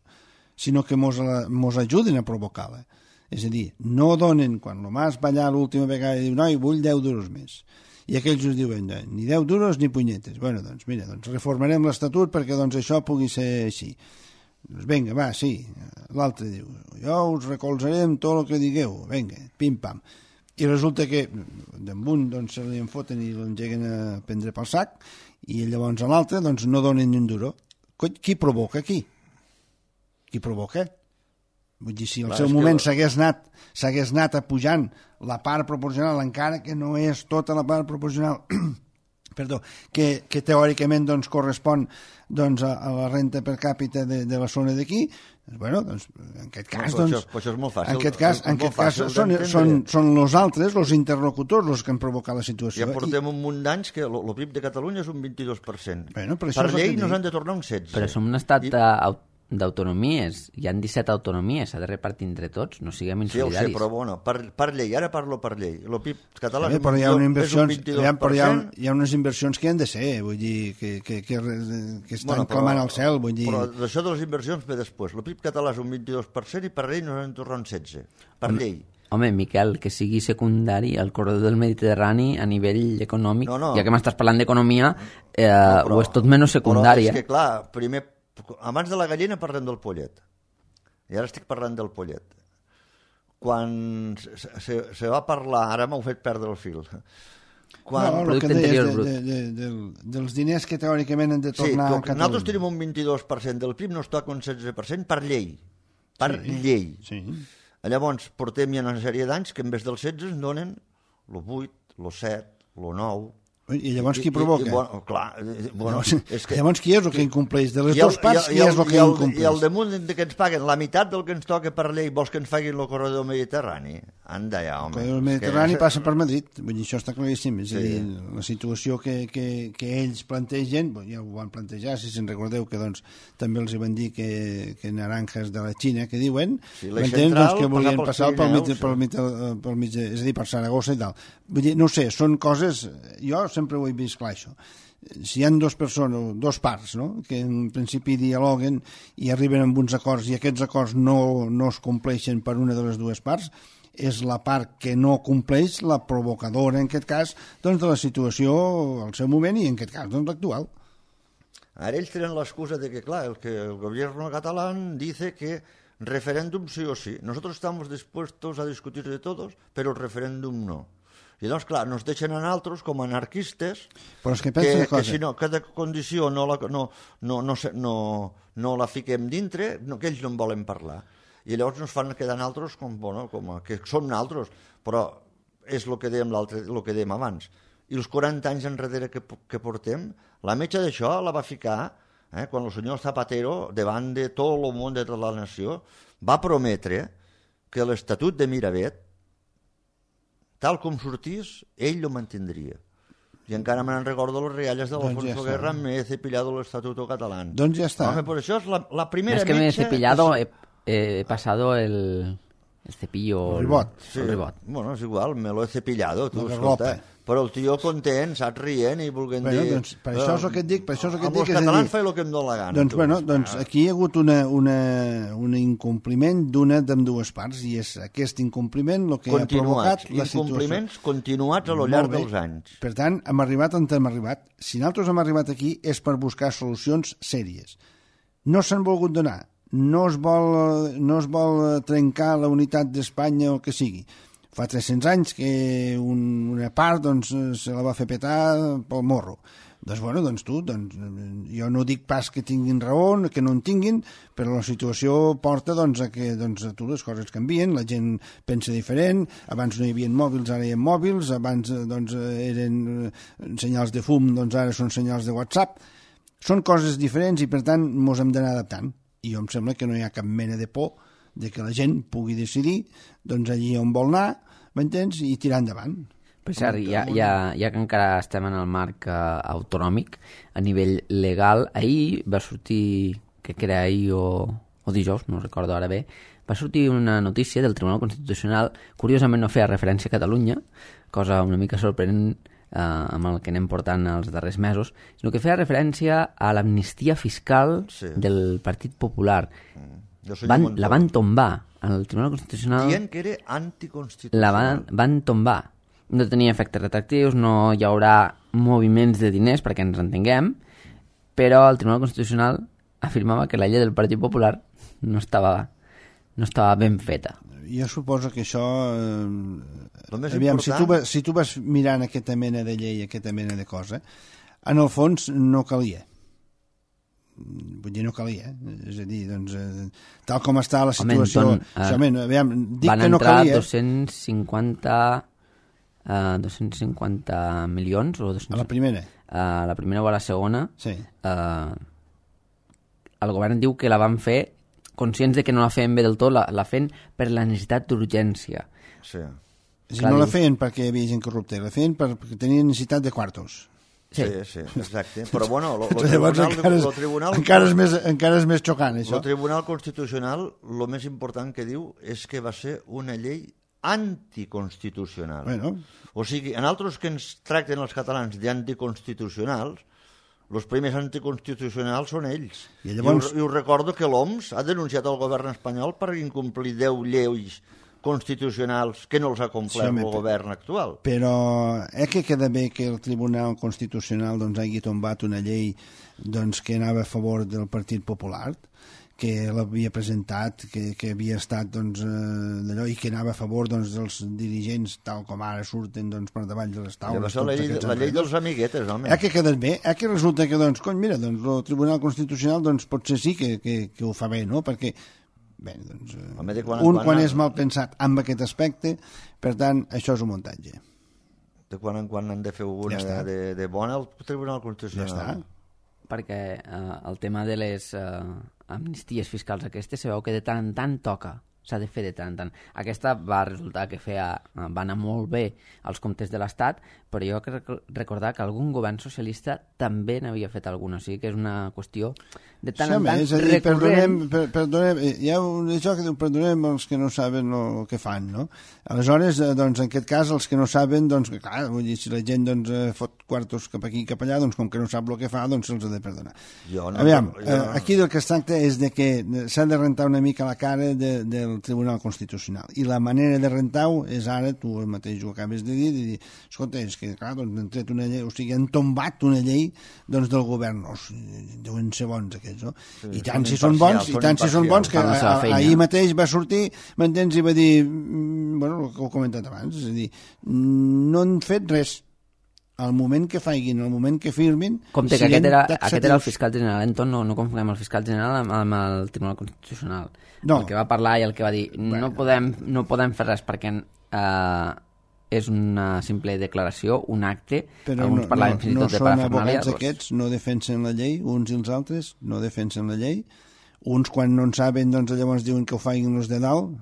Speaker 2: sinó que mos, la, mos ajuden a provocar-la. És a dir, no donen, quan el Mas va allà l'última vegada i diu, noi, vull deu duros més. I aquells us diuen, ni deu duros ni punyetes. Bueno, doncs mira, doncs reformarem l'Estatut perquè doncs, això pugui ser així. Doncs vinga, va, sí. L'altre diu, jo us recolzarem tot el que digueu. Vinga, pim-pam. I resulta que d'en un doncs, se li enfoten i l'engeguen a prendre pel sac i llavors a l'altre doncs, no donen ni un duro. Qui provoca aquí? Qui provoca? Vull dir, si al
Speaker 3: Clar,
Speaker 2: seu
Speaker 3: és
Speaker 2: moment
Speaker 3: que-
Speaker 2: s'hagués anat, s'hagués anat apujant la part proporcional, encara que no és tota la part proporcional, perdó, que, que teòricament doncs, correspon doncs, a, a la renta per càpita de, de la zona d'aquí, bueno, doncs, en aquest cas,
Speaker 3: no,
Speaker 2: doncs,
Speaker 3: això, això és molt fàcil,
Speaker 2: en aquest cas, en aquest cas són, són, són els altres, els interlocutors, els que han provocat la situació.
Speaker 3: Ja portem
Speaker 2: I...
Speaker 3: un munt d'anys que el P I B de Catalunya és un vint-i-dos per cent.
Speaker 2: Bueno, per
Speaker 3: per llei nos han de tornar un setze.
Speaker 1: Però som un estat
Speaker 3: I...
Speaker 1: d'autonomies, hi han disset autonomies, s'ha de repartir entre tots, no siguem insolidaris.
Speaker 3: Sí, ho sé, però bueno, per, per llei, ara parlo per llei. El P I B català
Speaker 2: sí,
Speaker 3: és,
Speaker 2: però hi ha
Speaker 3: un,
Speaker 2: inversions,
Speaker 3: és un vint-i-dos per cent.
Speaker 2: hi ha, però hi ha, hi ha unes inversions que han de ser, vull dir, que, que, que, que estan bueno, però, clamant al cel, vull dir...
Speaker 3: Però això de les inversions ve després. El P I B català és un vint-i-dos per cent i per llei nos han de tornar un setze, per
Speaker 1: Home,
Speaker 3: llei.
Speaker 1: Home, Miquel, que sigui secundari el corredor del Mediterrani a nivell econòmic,
Speaker 3: no, no.
Speaker 1: ja que m'estàs parlant d'economia, eh,
Speaker 3: no, però,
Speaker 1: ho és tot menys secundari.
Speaker 3: Però és que, clar, primer, abans de la gallina parlem del pollet. I ara estic parlant del pollet. Quan se, se, se va parlar, ara m'heu fet perdre el fil. Quan...
Speaker 2: No, el que deies de, de, de, de, dels diners que teòricament han de tornar
Speaker 3: sí,
Speaker 2: a Catalunya.
Speaker 3: Nosaltres tenim un vint-i-dos per cent del P I B, no es toca un setze per cent per llei. Per
Speaker 2: sí,
Speaker 3: llei.
Speaker 2: Sí.
Speaker 3: Llavors, portem ja una sèrie d'anys que en vez del setze ens donen el vuit, el set, el nou...
Speaker 2: I llavors qui provoca?
Speaker 3: I, i, bueno, clar, bueno, és que,
Speaker 2: llavors qui és el que incompleix? De les
Speaker 3: el,
Speaker 2: dues parts,
Speaker 3: i el,
Speaker 2: qui és el que
Speaker 3: i el,
Speaker 2: incompleix?
Speaker 3: I al damunt de que ens paguen la meitat del que ens toca per llei, vols que ens facin el corredor mediterrani? Anda ja, home.
Speaker 2: El Mediterrani
Speaker 3: que...
Speaker 2: passa per Madrid, vull dir, això està claríssim. És
Speaker 3: sí.
Speaker 2: a dir, la situació que, que, que ells plantegen, ja ho van plantejar, si se'n recordeu que doncs, també els hi van dir que, que naranjas de la Xina, que diuen,
Speaker 3: sí,
Speaker 2: m'entens? Doncs, que volien passar pel mig,
Speaker 3: sí.
Speaker 2: pel, mig, pel mig, és a dir, per Saragossa i tal. Vull dir, no ho sé, són coses, jo sempre ho he vist clar, això. Si hi ha dues persones, dos parts, no?, que en principi dialoguen i arriben amb uns acords i aquests acords no, no es compleixen per una de les dues parts, és la part que no compleix la provocadora, en aquest cas, doncs, de la situació al seu moment i, en aquest cas, doncs, l'actual.
Speaker 3: Ara ells tenen l'excusa de que, clar, el que el gobierno catalán dice que referéndum sí o sí. Nosotros estamos dispuestos a discutir de todos, pero el referéndum no. I doncs, clar, nos deixen a nosaltres com a anarquistes
Speaker 2: però és que, que,
Speaker 3: que si no, cada condició no la, no, no, no, no, no la fiquem dintre, no, que ells no en volen parlar. I llavors ens fan quedar nosaltres com, bueno, com a, que som nosaltres, però és el que dèiem, el que dèiem abans. I els quaranta anys enrere que, que portem, la metge d'això la va ficar, eh, quan el senyor Zapatero, davant de tot el món de tota la nació, va prometre que l'Estatut de Miravet, tal com sortís, ell lo mantindria. I encara me'n recordo les rialles de l'Alfonso
Speaker 2: doncs ja
Speaker 3: Guerra, me he cepillado l'Estatuto Catalán.
Speaker 2: Doncs ja està.
Speaker 3: Home, per això és la, la primera
Speaker 1: es que
Speaker 3: metge...
Speaker 1: me he cepillado, he, he pasado el, el cepillo...
Speaker 2: El ribot.
Speaker 3: Sí,
Speaker 1: el ribot.
Speaker 3: Bueno, és igual, me lo he cepillado, tu,
Speaker 2: La
Speaker 3: escolta.
Speaker 2: garlopa.
Speaker 3: Però el tio content, saps, rient i volguent
Speaker 2: Bueno,
Speaker 3: dir...
Speaker 2: doncs, per això és el que et dic, per això és el que et
Speaker 3: amb
Speaker 2: dic.
Speaker 3: els
Speaker 2: és a
Speaker 3: catalans
Speaker 2: dir,
Speaker 3: fa el que em dóna la gana.
Speaker 2: Doncs,
Speaker 3: tu.
Speaker 2: bueno, doncs aquí hi ha hagut una, una, un incompliment d'una d'ambdues parts i és aquest incompliment el que
Speaker 3: continuats,
Speaker 2: ha provocat la situació.
Speaker 3: Incompliments continuats a lo llarg dels anys.
Speaker 2: Per tant, hem arribat on hem arribat. Si nosaltres hem arribat aquí és per buscar solucions sèries. No s'han volgut donar. No es vol, no es vol trencar la unitat d'Espanya o el que sigui. Fa tres-cents anys que un, una part doncs, se la va fer petar pel morro. Doncs, bueno, doncs tu, doncs, jo no dic pas que tinguin raó, que no en tinguin, però la situació porta doncs, a que doncs, a tu les coses canvien, la gent pensa diferent, abans no hi havia mòbils, ara hi ha mòbils, abans doncs, eren senyals de fum, doncs ara són senyals de WhatsApp. Són coses diferents i, per tant, mos hem d'anar adaptant. I jo em sembla que no hi ha cap mena de por de que la gent pugui decidir doncs, allí on vol anar, m'entens, i tirar endavant.
Speaker 1: Per cert, ja, ja, ja que encara estem en el marc uh, autonòmic, a nivell legal, ahir va sortir, crec que era ahir o, o dijous, no recordo ara bé, va sortir una notícia del Tribunal Constitucional, curiosament no feia referència a Catalunya, cosa una mica sorprenent eh, amb el que anem portant els darrers mesos, sinó que feia referència a l'amnistia fiscal sí. del Partit Popular. Van, la van tombar al Tribunal Constitucional.
Speaker 3: Dient que era anticonstitucional.
Speaker 1: La van, van tombar. No tenia efectes retractius, no hi haurà moviments de diners, perquè ens entenguem, però el Tribunal Constitucional afirmava que la llei del Partit Popular no estava, no estava ben feta.
Speaker 2: Jo suposo que això... Eh,
Speaker 3: aviam,
Speaker 2: important... si, tu vas, si tu vas mirant aquesta mena de llei, aquesta mena de cosa, en el fons no calia. Vull dir, no calia. És a dir, doncs, eh, tal com està la situació...
Speaker 1: Home, Anton,
Speaker 2: això, men, aviam, dic
Speaker 1: van
Speaker 2: que no
Speaker 1: entrar
Speaker 2: calia.
Speaker 1: dos-cents cinquanta uh, dos-cents cinquanta milions o dos-cents...
Speaker 2: A la primera?
Speaker 1: Uh, la primera o a la segona.
Speaker 2: Sí.
Speaker 1: Uh, el govern diu que la van fer conscients de que no la feien bé del tot, la, la feien per la necessitat d'urgència.
Speaker 3: Sí.
Speaker 2: Si no la feien perquè hi havia gent corrupta, la feien perquè tenien necessitat de quartos.
Speaker 3: Sí, sí, sí, exacte. Però bueno, el
Speaker 2: tribunal, encara, és,
Speaker 3: tribunal,
Speaker 2: encara, és més, encara és més xocant, això.
Speaker 3: El Tribunal Constitucional, el més important que diu és que va ser una llei anticonstitucional.
Speaker 2: Bueno.
Speaker 3: O sigui, en altres que ens tracten els catalans d'anticonstitucionals, els primers anticonstitucionals són ells. I, llavors... I, us, I us recordo que l'O M S ha denunciat el govern espanyol per incomplir deu lleis constitucionals que no els ha complert sí, el govern actual.
Speaker 2: Però eh que queda bé que el Tribunal Constitucional doncs, hagi tombat una llei doncs, que anava a favor del Partit Popular, que l'havia presentat, que, que havia estat doncs, eh, d'allò i que anava a favor doncs, dels dirigents tal com ara surten doncs, per davall de les taules.
Speaker 3: Ja la, llei, la llei dels amiguetes, home.
Speaker 2: Eh que queda bé? Eh que resulta que, doncs, cony, mira, doncs, el Tribunal Constitucional doncs, potser sí que, que, que ho fa bé, no? Perquè bé, doncs, Home, de quan un quan, quan és mal pensat amb aquest aspecte, per tant, això és un muntatge.
Speaker 3: De quan en quan han de fer una ja de, de bona al Tribunal Constitucional.
Speaker 2: Ja està.
Speaker 1: Perquè eh, el tema de les eh, amnisties fiscals aquestes se veu que de tant en tant toca, s'ha de fer de tant en tant. Aquesta va resultar que feia, va anar molt bé als comptes de l'Estat, però jo crec recordar que algun govern socialista també n'havia fet alguna, o sigui que és una qüestió de tant sí, en tant
Speaker 2: és a dir, perdonem, per, perdonem, hi ha un això que diu, perdonem els que no saben el que fan, no? Aleshores, doncs, en aquest cas, els que no saben, doncs, clar, vull dir, si la gent doncs, fot quartos cap aquí i cap allà, doncs, com que no sap el que fa, doncs se'ls ha de perdonar.
Speaker 3: Jo no,
Speaker 2: Aviam,
Speaker 3: jo no.
Speaker 2: aquí del que es tracta és de que s'ha de rentar una mica la cara de, del Tribunal Constitucional, i la manera de rentar-ho és ara, tu mateix ho acabes de dir, de dir, escolta, és que, clar, doncs, han tret una llei, o sigui, han tombat una llei, doncs, del govern, no, deuen ser bons aquests, no? Sí, I tant si són bons, i tant si són bons, que a, ahir mateix va sortir, m'entens, i va dir, bueno, el que ho he comentat abans, és a dir, no han fet res. Al moment que faiguin, al moment que firmin...
Speaker 1: Compte que aquest era, aquest era el fiscal general, Anton, no, no confonguem el fiscal general amb, amb el Tribunal Constitucional. No. El que va parlar i el que va dir, bueno. no, podem, no podem fer res perquè eh, és una simple declaració, un acte,
Speaker 2: però alguns no, parlaven no, fins i tot no de parafernàlia. No són abogats aquests, no defensen la llei, uns i els altres no defensen la llei, uns quan no en saben, doncs llavors diuen que ho faiguin els de dalt,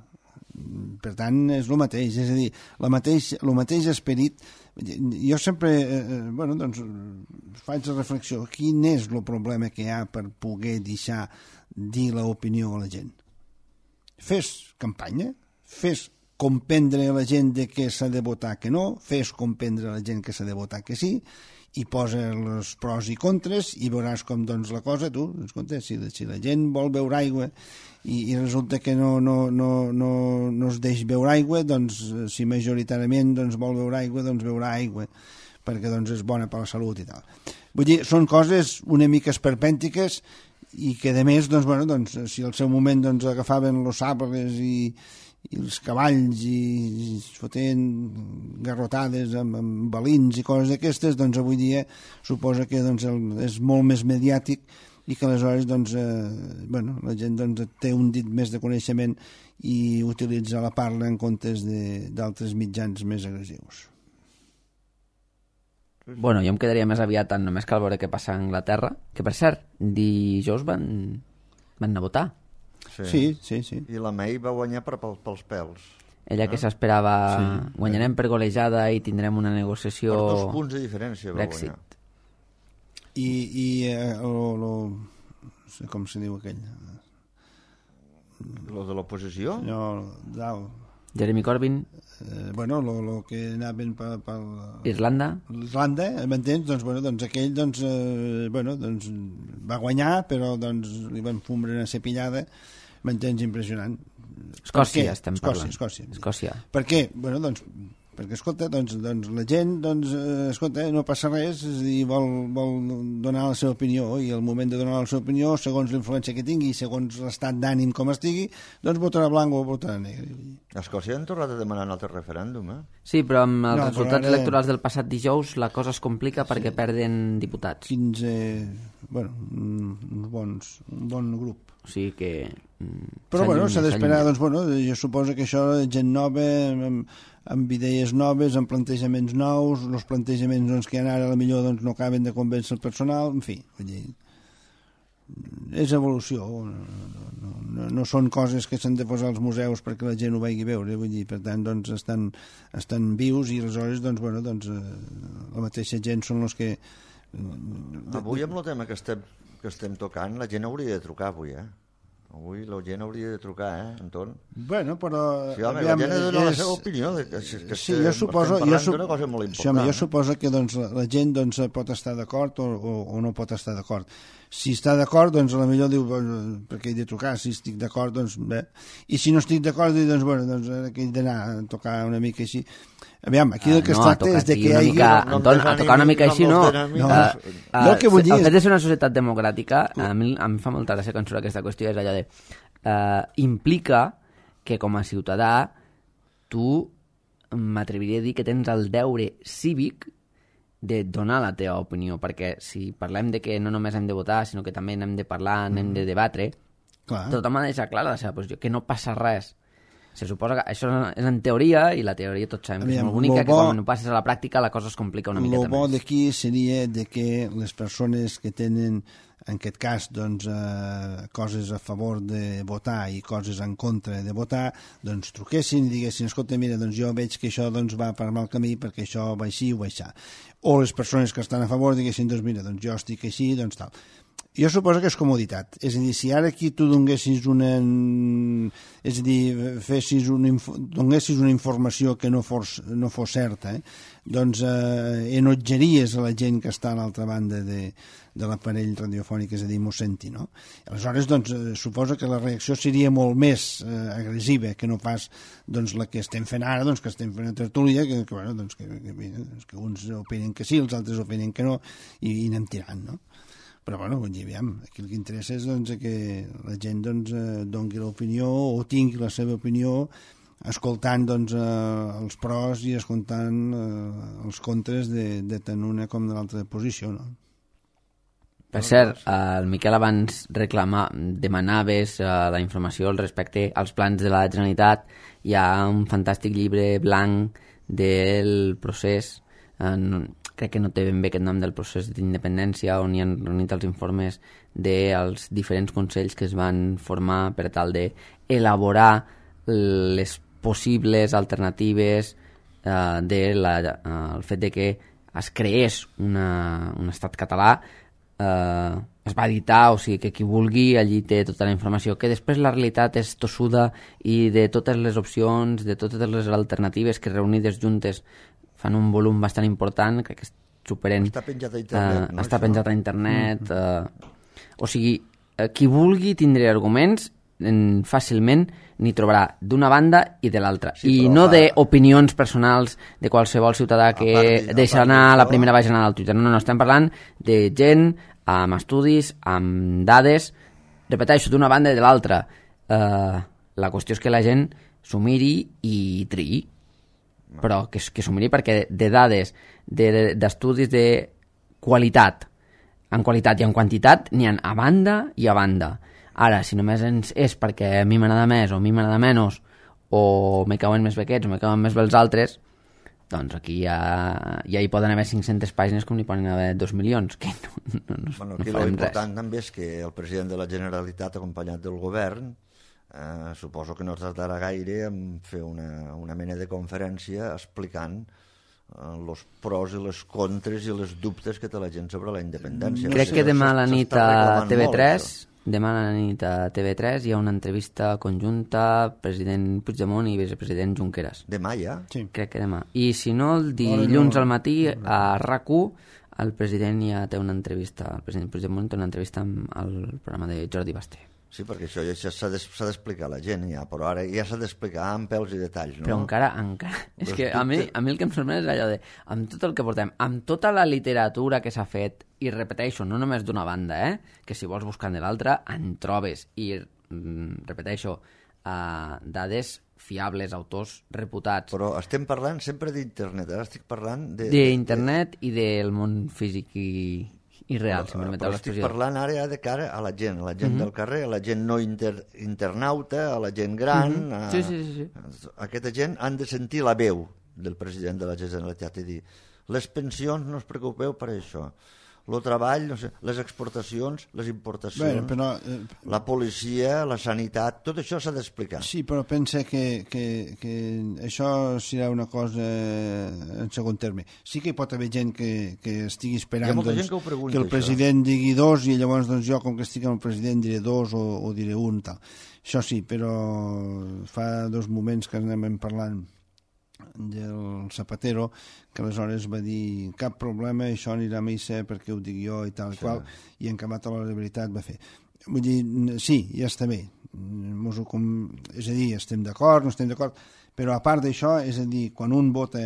Speaker 2: per tant és el mateix, és a dir, el mateix, el mateix esperit. Jo sempre, eh, bueno, doncs, faig la reflexió, quin és el problema que hi ha per poder deixar dir l'opinió a la gent? Fes campanya, fes comprendre a la gent de que s'ha de votar que no, fes comprendre a la gent que s'ha de votar que sí, i posa els pros i contres i veuràs com doncs la cosa, tu, escolta, si, si la gent vol beure aigua i, i resulta que no, no, no, no, no es deix beure aigua, doncs si majoritàriament doncs, vol beure aigua, doncs beurà aigua, perquè doncs, és bona per la salut i tal. Vull dir, són coses una mica esperpèntiques i que a més, doncs, bueno, doncs, si al seu moment doncs, agafaven els sabres i i els cavalls i, i es foten garrotades amb, amb balins i coses d'aquestes, doncs avui dia suposa que doncs, el, és molt més mediàtic i que aleshores doncs, eh, bueno, la gent doncs, té un dit més de coneixement i utilitza la parla en comptes d'altres mitjans més agressius.
Speaker 1: Bueno, jo em quedaria més aviat en només cal veure què passa a Anglaterra, que per cert, dijous van, van anar a votar.
Speaker 2: Sí. Sí, sí, sí.
Speaker 3: I la May va guanyar per, pels, pels pèls.
Speaker 1: Ella que s'esperava, sí. Guanyarem per golejada i tindrem una negociació...
Speaker 3: Per dos punts de diferència va
Speaker 1: Brexit.
Speaker 3: Guanyar.
Speaker 2: I, i eh, lo, lo, no sé com se diu aquell...
Speaker 3: Lo de l'oposició?
Speaker 2: No, dalt.
Speaker 1: Jeremy Corbyn.
Speaker 2: Eh, bueno, lo, lo que anaven per... per
Speaker 1: Irlanda.
Speaker 2: Irlanda, m'entens? Doncs, bueno, doncs aquell doncs, eh, bueno, doncs, va guanyar, però doncs, li van fumbre una cepillada, m'entens, impressionant.
Speaker 1: Escòcia estem
Speaker 2: Escòcia,
Speaker 1: parlant.
Speaker 2: Escòcia.
Speaker 1: Escòcia.
Speaker 2: Per què? Bueno, doncs, perquè, escolta, doncs, doncs la gent, doncs, eh, escolta, no passa res, és a dir, vol, vol donar la seva opinió, i al moment de donar la seva opinió, segons l'influència que tingui, segons l'estat d'ànim com estigui, doncs votarà blanc o votarà negre.
Speaker 3: A Escòcia han tornat a demanar un altre referèndum, eh?
Speaker 1: Sí, però amb els
Speaker 2: no,
Speaker 1: resultats
Speaker 2: ara...
Speaker 1: electorals del passat dijous la cosa es complica sí. perquè perden diputats.
Speaker 2: quinze, bueno, uns bons, un bon grup.
Speaker 1: O sigui que...
Speaker 2: Però bueno, s'ha d'esperar, doncs bueno, jo suposo que això, gent nova, amb, amb idees noves, amb plantejaments nous, els plantejaments doncs, que ara a la millor doncs, no acaben de convèncer el personal, en fi, vull dir, és evolució, no, no, no, no són coses que s'han de posar als museus perquè la gent ho vagi a veure, vull dir, per tant, doncs, estan, estan vius i aleshores, doncs, bueno, doncs, la mateixa gent són els que...
Speaker 3: Avui, amb el tema que estem, que estem tocant, la gent hauria de trucar avui, eh? Avui la gent hauria de trucar, eh, Anton?
Speaker 2: Bueno, però...
Speaker 3: Sí, home, aviam, la gent ha de donar és... la seva opinió. De que, que
Speaker 2: sí, jo suposo...
Speaker 3: Estem parlant
Speaker 2: jo
Speaker 3: d'una cosa molt important.
Speaker 2: Sí, home, jo
Speaker 3: eh?
Speaker 2: suposo que doncs, la, la gent doncs, pot estar d'acord o, o, o no pot estar d'acord. Si està d'acord, doncs, a la millor diu, bueno, perquè he de trucar, si estic d'acord, doncs, bé. I si no estic d'acord, doncs, bueno, doncs, que he d'anar a tocar una mica així. Aviam, aquí el que
Speaker 1: uh,
Speaker 2: es
Speaker 1: no,
Speaker 2: tracta és de que hi hagi...
Speaker 1: Mica, no, Anton, a tocar una mica així, no. no,
Speaker 2: no. Uh, uh, el que vull dir
Speaker 1: el
Speaker 2: és...
Speaker 1: fet de ser una societat democràtica, a mi em fa molta gràcia quan surt aquesta qüestió, és allò de... Uh, implica que com a ciutadà tu m'atreviria a dir que tens el deure cívic de donar la teva opinió, perquè si parlem de que no només hem de votar, sinó que també n'hem de parlar, n'hem de debatre, clar. Tothom ha de deixar clara la seva posició, que no passa res. Se suposa que això és en teoria, i la teoria tots sabem que és molt bonica, bo, que quan no passes a la pràctica la cosa es complica una miqueta més.
Speaker 2: El bo d'aquí seria de que les persones que tenen, en aquest cas, doncs, eh, coses a favor de votar i coses en contra de votar, doncs truquessin i diguessin, escolta, mira, doncs jo veig que això doncs, va per mal camí perquè això va així o va així. O les persones que estan a favor diguessin, doncs mira, doncs jo estic així, doncs tal. Jo suposo que és comoditat. És a dir, si ara aquí tu donessis una... És a dir, fessis una, donessis una informació que no fos, no fos certa, eh? doncs eh, enotjaries a la gent que està a l'altra banda de, de l'aparell radiofònic, és a dir, m'ho senti, no? Aleshores, doncs, eh, suposo que la reacció seria molt més eh, agressiva que no pas doncs, la que estem fent ara, doncs, que estem fent a tertúlia, que, que, bueno, doncs, que, que, que uns opinen que sí, els altres opinen que no, i, i anem tirant, no? Però, bueno, vull dir, aviam, aquí el que interessa és doncs, que la gent doncs, doni l'opinió o tingui la seva opinió escoltant doncs, eh, els pros i escoltant eh, els contres de, de tant una com de l'altra posició, no?
Speaker 1: Per cert, el Miquel abans reclama, demanaves uh, la informació al respecte als plans de la Generalitat. Hi ha un fantàstic llibre blanc del procés, en, crec que no té ben bé aquest nom del procés d'independència, on hi han reunit els informes dels diferents consells que es van formar per tal d'elaborar les possibles alternatives uh, del uh, fet de que es creés una, un estat català. Uh, es va editar, o sigui que qui vulgui allí té tota la informació, que després la realitat és tossuda i de totes les opcions, de totes les alternatives que reunides juntes fan un volum bastant important, crec que superen...
Speaker 3: Està penjat a internet,
Speaker 1: uh,
Speaker 3: no?
Speaker 1: Està penjat a internet. Uh, o sigui, uh, qui vulgui tindré arguments, en, fàcilment n'hi trobarà d'una banda i de l'altra. Sí, I no fa... d'opinions personals de qualsevol ciutadà que part, deixa anar a la primera bajanada al Twitter. No, no, no, estem parlant de gent amb estudis, amb dades, repeteixo, d'una banda i de l'altra. Uh, la qüestió és que la gent s'ho miri i triï, però que, que s'ho miri perquè de dades, d'estudis de, de qualitat, en qualitat i en quantitat, n'hi ha a banda i a banda. Ara, si només és perquè a mi m'agrada més o a mi m'agrada menys, o me cauen més bé aquests o me cauen més bé els altres, doncs aquí ja, ja hi poden haver cinc-centes pàgines com n'hi poden haver dos milions, que no, no, no,
Speaker 3: bueno,
Speaker 1: no
Speaker 3: farem res. L'important també és que el president de la Generalitat, acompanyat del govern, eh, suposo que no tardarà gaire en fer una, una mena de conferència explicant els eh, pros i les contres i les dubtes que té la gent sobre la independència.
Speaker 1: Crec que demà a la nit a T V tres... Demà a la nit a T V tres hi ha una entrevista conjunta president Puigdemont i vicepresident Junqueras.
Speaker 3: Demà ja?
Speaker 2: Sí.
Speaker 1: Crec que demà. I si no, el dilluns al matí a RAC u el president ja té una entrevista, el president Puigdemont té una entrevista amb el programa de Jordi Basté.
Speaker 3: Sí, perquè això ja s'ha d'explicar a la gent, ja, però ara ja s'ha d'explicar amb pèls i detalls, no?
Speaker 1: Però encara, encara... És que a mi, a mi el que em sorprèn és allò de, amb tot el que portem, amb tota la literatura que s'ha fet, i repeteixo, no només d'una banda, eh? Que si vols buscar de l'altra, en trobes. I, mm, repeteixo, uh, dades fiables, autors reputats.
Speaker 3: Però estem parlant sempre d'internet, ara estic parlant de...
Speaker 1: D'internet i del món físic i, irreal, si em permeteu
Speaker 3: Però estic
Speaker 1: l'expressió.
Speaker 3: parlant ara de cara a la gent, a la gent
Speaker 1: Mhm.
Speaker 3: del carrer, a la gent no inter, internauta, a la gent gran...
Speaker 1: Mhm.
Speaker 3: a,
Speaker 1: Sí, sí, sí, sí.
Speaker 3: Aquesta gent han de sentir la veu del president de la Generalitat i dir les pensions no us preocupeu per això, el treball, no sé, les exportacions, les importacions,
Speaker 2: Bueno, però, eh,
Speaker 3: la policia, la sanitat, tot això s'ha d'explicar.
Speaker 2: sí, però pensa que, que, que això serà una cosa en segon terme. Sí que hi pot haver gent que, que estigui
Speaker 3: Hi
Speaker 2: esperant
Speaker 3: ha molta
Speaker 2: doncs,
Speaker 3: gent que ho pregunta,
Speaker 2: que el
Speaker 3: això.
Speaker 2: president digui dos i llavors doncs, jo, com que estic amb el president, diré dos o, o diré un. Tal. Això sí, però fa dos moments que anem parlant del Zapatero, que aleshores va dir cap problema, això anirà a missa perquè ho dic jo i tal i
Speaker 3: Sí.
Speaker 2: qual, i en acabat a la veritat va fer. Vull dir, sí, ja està bé. Mos ho com... És a dir, estem d'acord, no estem d'acord, però a part d'això, és a dir, quan un vota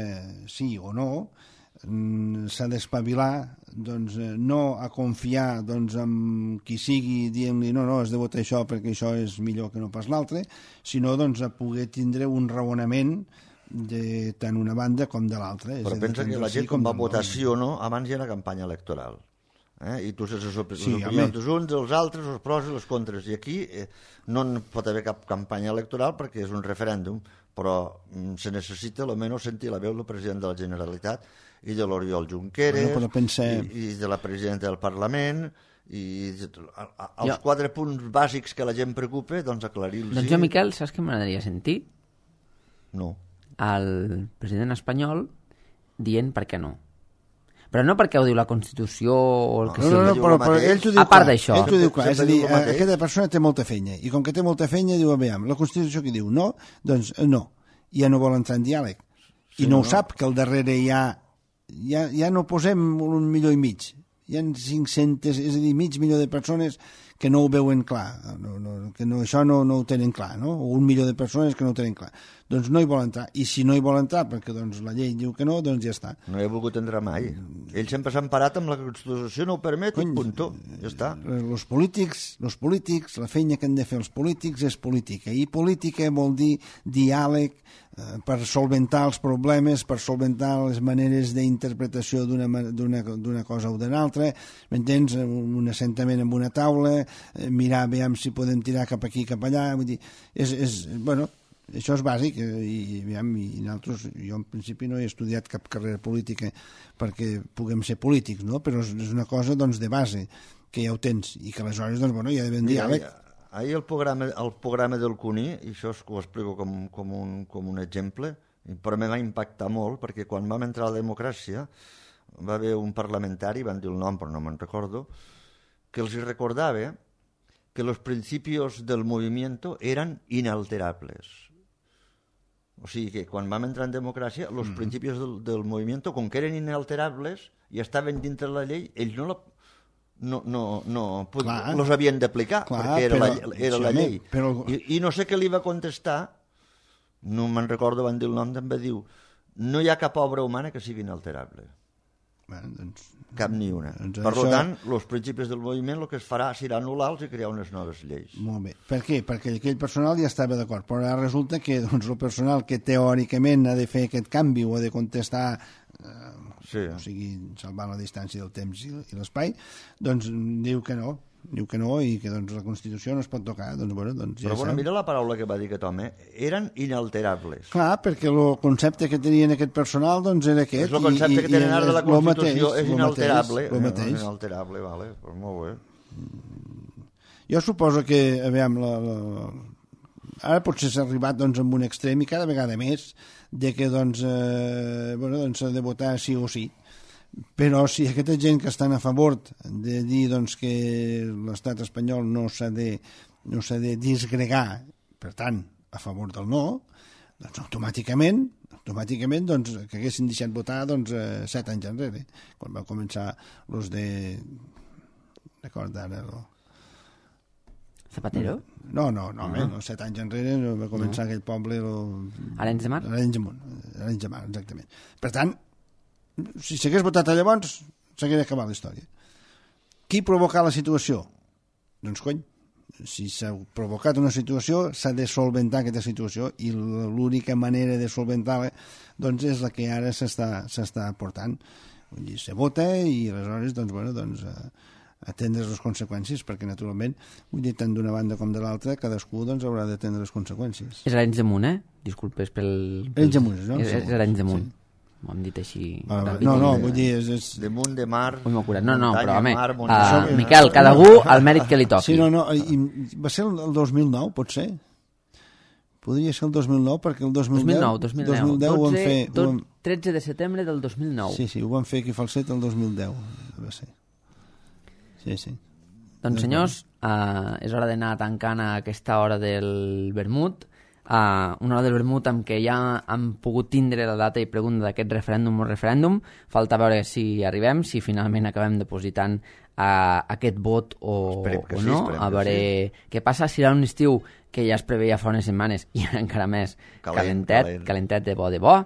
Speaker 2: sí o no, s'ha d'espavilar, doncs, no a confiar doncs, en qui sigui dient-li no, no, has de votar això perquè això és millor que no pas l'altre, sinó doncs, a poder tindre un raonament de tant una banda com de l'altra.
Speaker 3: Però pensa que la gent quan va votar sí o no, abans hi ha una campanya electoral. Eh? I tu saps les, op
Speaker 2: Sí,
Speaker 3: les opinions dels uns, dels altres, els pros i les contres. I aquí eh, no en pot haver cap campanya electoral perquè és un referèndum, però mm, se necessita almenys sentir la veu del president de la Generalitat i de l'Oriol Junqueras,
Speaker 2: bueno, pensem...
Speaker 3: i, i de la presidenta del Parlament, i a, a, els
Speaker 1: Jo...
Speaker 3: quatre punts bàsics que la gent preocupa, doncs aclarir-los.
Speaker 1: Doncs jo, Miquel, saps què m'agradaria sentir?
Speaker 3: No.
Speaker 1: Al president espanyol dient per què no. Però no perquè ho diu la Constitució o el que
Speaker 2: No,
Speaker 1: sigui.
Speaker 2: no, no, però, però ell t'ho diu
Speaker 1: A part
Speaker 2: clar,
Speaker 1: d'això.
Speaker 2: ell t'ho diu clar, és a dir,
Speaker 3: Sempre diu el mateix.
Speaker 2: aquesta persona té molta feina, i com que té molta feina diu, aviam, la Constitució que diu no, doncs no, ja no vol entrar en diàleg, i
Speaker 3: Sí,
Speaker 2: no,
Speaker 3: no,
Speaker 2: ho sap, que al darrere hi ha, ja, ja no posem un milió i mig, hi ha cinc-centes, és a dir, mig milió de persones que no ho veuen clar, no, no, que no, això no, no ho tenen clar, no? O un milió de persones que no ho tenen clar. Doncs no hi vol entrar. I si no hi vol entrar perquè doncs, la llei diu que no, doncs ja està.
Speaker 3: No hi ha volgut entrar mai. Ell sempre s'ha emparat amb la Constitució, no ho permet,
Speaker 2: Cony,
Speaker 3: i puntó. Ja està.
Speaker 2: Els polítics, els polítics, la feina que han de fer els polítics és política. I política vol dir diàleg eh, per solventar els problemes, per solventar les maneres d'interpretació d'una cosa o d'una altra, m'entens? Un assentament amb una taula, eh, mirar, veiem si podem tirar cap aquí, cap allà, vull dir, és, és bueno, això és bàsic, eh, i, i, i nosaltres, jo en principi no he estudiat cap carrera política perquè puguem ser polítics, no? Però és, és una cosa doncs, de base, que ja ho tens, i que aleshores doncs, bueno, hi ha d'haver un diàleg.
Speaker 3: Ahir el programa, el programa del Cuní, i això ho explico com, com, un, com un exemple, però me va impactar molt, perquè quan vam entrar a la democràcia va haver un parlamentari, van dir el nom però no me'n recordo, que els recordava que los principios del movimiento eran inalterables. O sigui que quan vam entrar en democràcia, els mm-hmm. principis del, del moviment, com que eren inalterables i estaven dintre la llei, ells no la, no, no, no, clar, los havien d'aplicar, perquè era, però, la, era sí, la llei. Però... I, I no sé què li va contestar, no me'n recordo, van dir el nom, també diu, no hi ha cap obra humana que sigui inalterable.
Speaker 2: Bueno, doncs,
Speaker 3: cap ni una.
Speaker 2: Doncs
Speaker 3: per
Speaker 2: això...
Speaker 3: tant, els principis del moviment el que es farà serà anul·lar-los i crear unes noves lleis.
Speaker 2: Molt bé. Per què? Perquè aquell personal ja estava d'acord, però ara resulta que doncs, el personal que teòricament ha de fer aquest canvi o ha de contestar, eh, sí. o sigui, salvant la distància del temps i, i l'espai, doncs diu que no. Diu que no i que doncs, la Constitució no es pot tocar. Doncs, bueno, doncs, ja
Speaker 3: però bueno,
Speaker 2: sap.
Speaker 3: mira la paraula que va dir aquest home. Eren inalterables.
Speaker 2: Clar, perquè el concepte que tenien aquest personal doncs, era aquest.
Speaker 3: És el concepte i, que tenen ara de la Constitució,
Speaker 2: mateix,
Speaker 3: és inalterable.
Speaker 2: Lo mateix.
Speaker 3: És inalterable, vale. Pues molt bé.
Speaker 2: Jo suposo que, aviam, la, la... ara potser s'ha arribat doncs, amb un extrem i cada vegada més de que doncs, eh, bueno, doncs, s'ha de votar sí o sí. Però si aquesta gent que estan a favor de dir doncs, que l'estat espanyol no s'ha de, no s'ha de disgregar, per tant, a favor del no, doncs automàticament, automàticament doncs, que haguessin deixat votar doncs, eh, set anys enrere, quan va començar els de... Record ara... No.
Speaker 1: Zapatero?
Speaker 2: No, no, no, uh -huh. no, set anys enrere va començar no. aquell poble... Lo...
Speaker 1: Arenys de Mar?
Speaker 2: Arenys de Mar, Arenys de Mar, exactament. Per tant, si s'hagués votat a llavors, s'hagués acabat la història. Qui provoca la situació? Doncs, cony, si s'ha provocat una situació, s'ha de solventar aquesta situació i l'única manera de solventar-la doncs, és la que ara s'està s'està portant. Vull dir, se vota i aleshores, doncs, bueno, doncs, atendre les conseqüències, perquè, naturalment, vull dir, tant d'una banda com de l'altra, cadascú, doncs, haurà d'atendre les conseqüències.
Speaker 1: És Arenys de Munt, eh? Disculpes pel...
Speaker 2: Arenys de Munt, no?
Speaker 1: És, és Arenys de Munt. Sí. M'ho hem dit així...
Speaker 2: Ah, no, no, vull dir... És, és...
Speaker 3: De munt, de mar...
Speaker 1: Ui, m'ho curat. No, no, però, home,
Speaker 3: mar,
Speaker 1: uh, Miquel, cada algú el mèrit que li toqui.
Speaker 2: Sí, no, no, i va ser el dos mil nou, pot ser? Podria ser el dos mil nou, perquè el dos mil deu...
Speaker 1: dos mil nou, dos mil deu.
Speaker 2: ho vam fer...
Speaker 1: Tot, ho vam... tretze de setembre del dos mil nou.
Speaker 2: Sí, sí, ho vam fer aquí a Falset el dos mil deu, va ser. Sí, sí.
Speaker 1: Doncs, senyors, uh, és hora d'anar tancant a aquesta hora del vermut. Uh, una hora del vermut amb què ja hem pogut tindre la data i pregunta d'aquest referèndum o referèndum. Falta veure si arribem, si finalment acabem depositant uh, aquest vot o, o no.
Speaker 3: Sí,
Speaker 1: a veure sí. Què passa. Serà un estiu que ja es preveia fa unes setmanes i encara més calent, calentet, calent. calentet de bo de bo.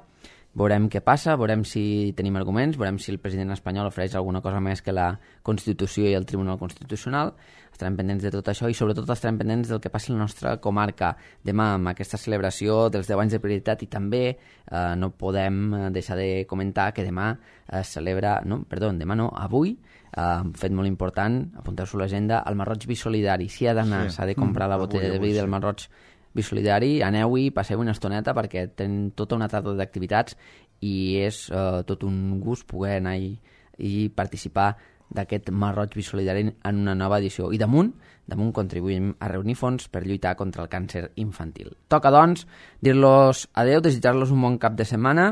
Speaker 1: Veurem què passa, veurem si tenim arguments, veurem si el president espanyol ofereix alguna cosa més que la Constitució i el Tribunal Constitucional. Estarem pendents de tot això i sobretot estarem pendents del que passi a la nostra comarca demà amb aquesta celebració dels deu anys de prioritat i també eh, no podem deixar de comentar que demà es celebra, no, perdó, demà no, avui, eh, un fet molt important, apunteu-s'ho a l'agenda, el Marroig Bisolidari. Si ha d'anar, s'ha sí. de comprar la botella avui, de vi avui, del Marroig Bisolidari, aneu-hi, passeu una estoneta perquè tenen tota una tarda d'activitats i és eh, tot un gust poder anar i, i participar d'aquest Marroig Bisolidari en una nova edició. I damunt, damunt contribuïm a reunir fons per lluitar contra el càncer infantil. Toca, doncs, dir-los adeu, desitjar-los un bon cap de setmana,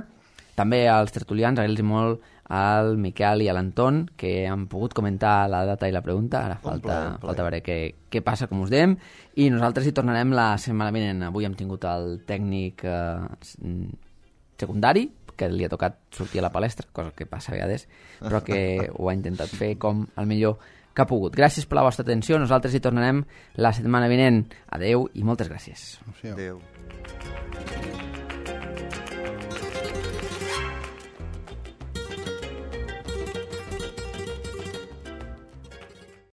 Speaker 1: també als tertulians, agrair-los molt al Miquel i a l'Anton, que han pogut comentar la data i la pregunta. Ara falta, plaer, plaer. falta veure què, què passa, com us dèiem, i nosaltres hi tornarem la setmana vinent. Avui hem tingut el tècnic eh, secundari, que li ha tocat sortir a la palestra, cosa que passa a vegades, però que ho ha intentat fer com el millor que ha pogut. Gràcies per la vostra atenció, nosaltres hi tornarem la setmana vinent. Adeu i moltes gràcies.
Speaker 2: Adeu.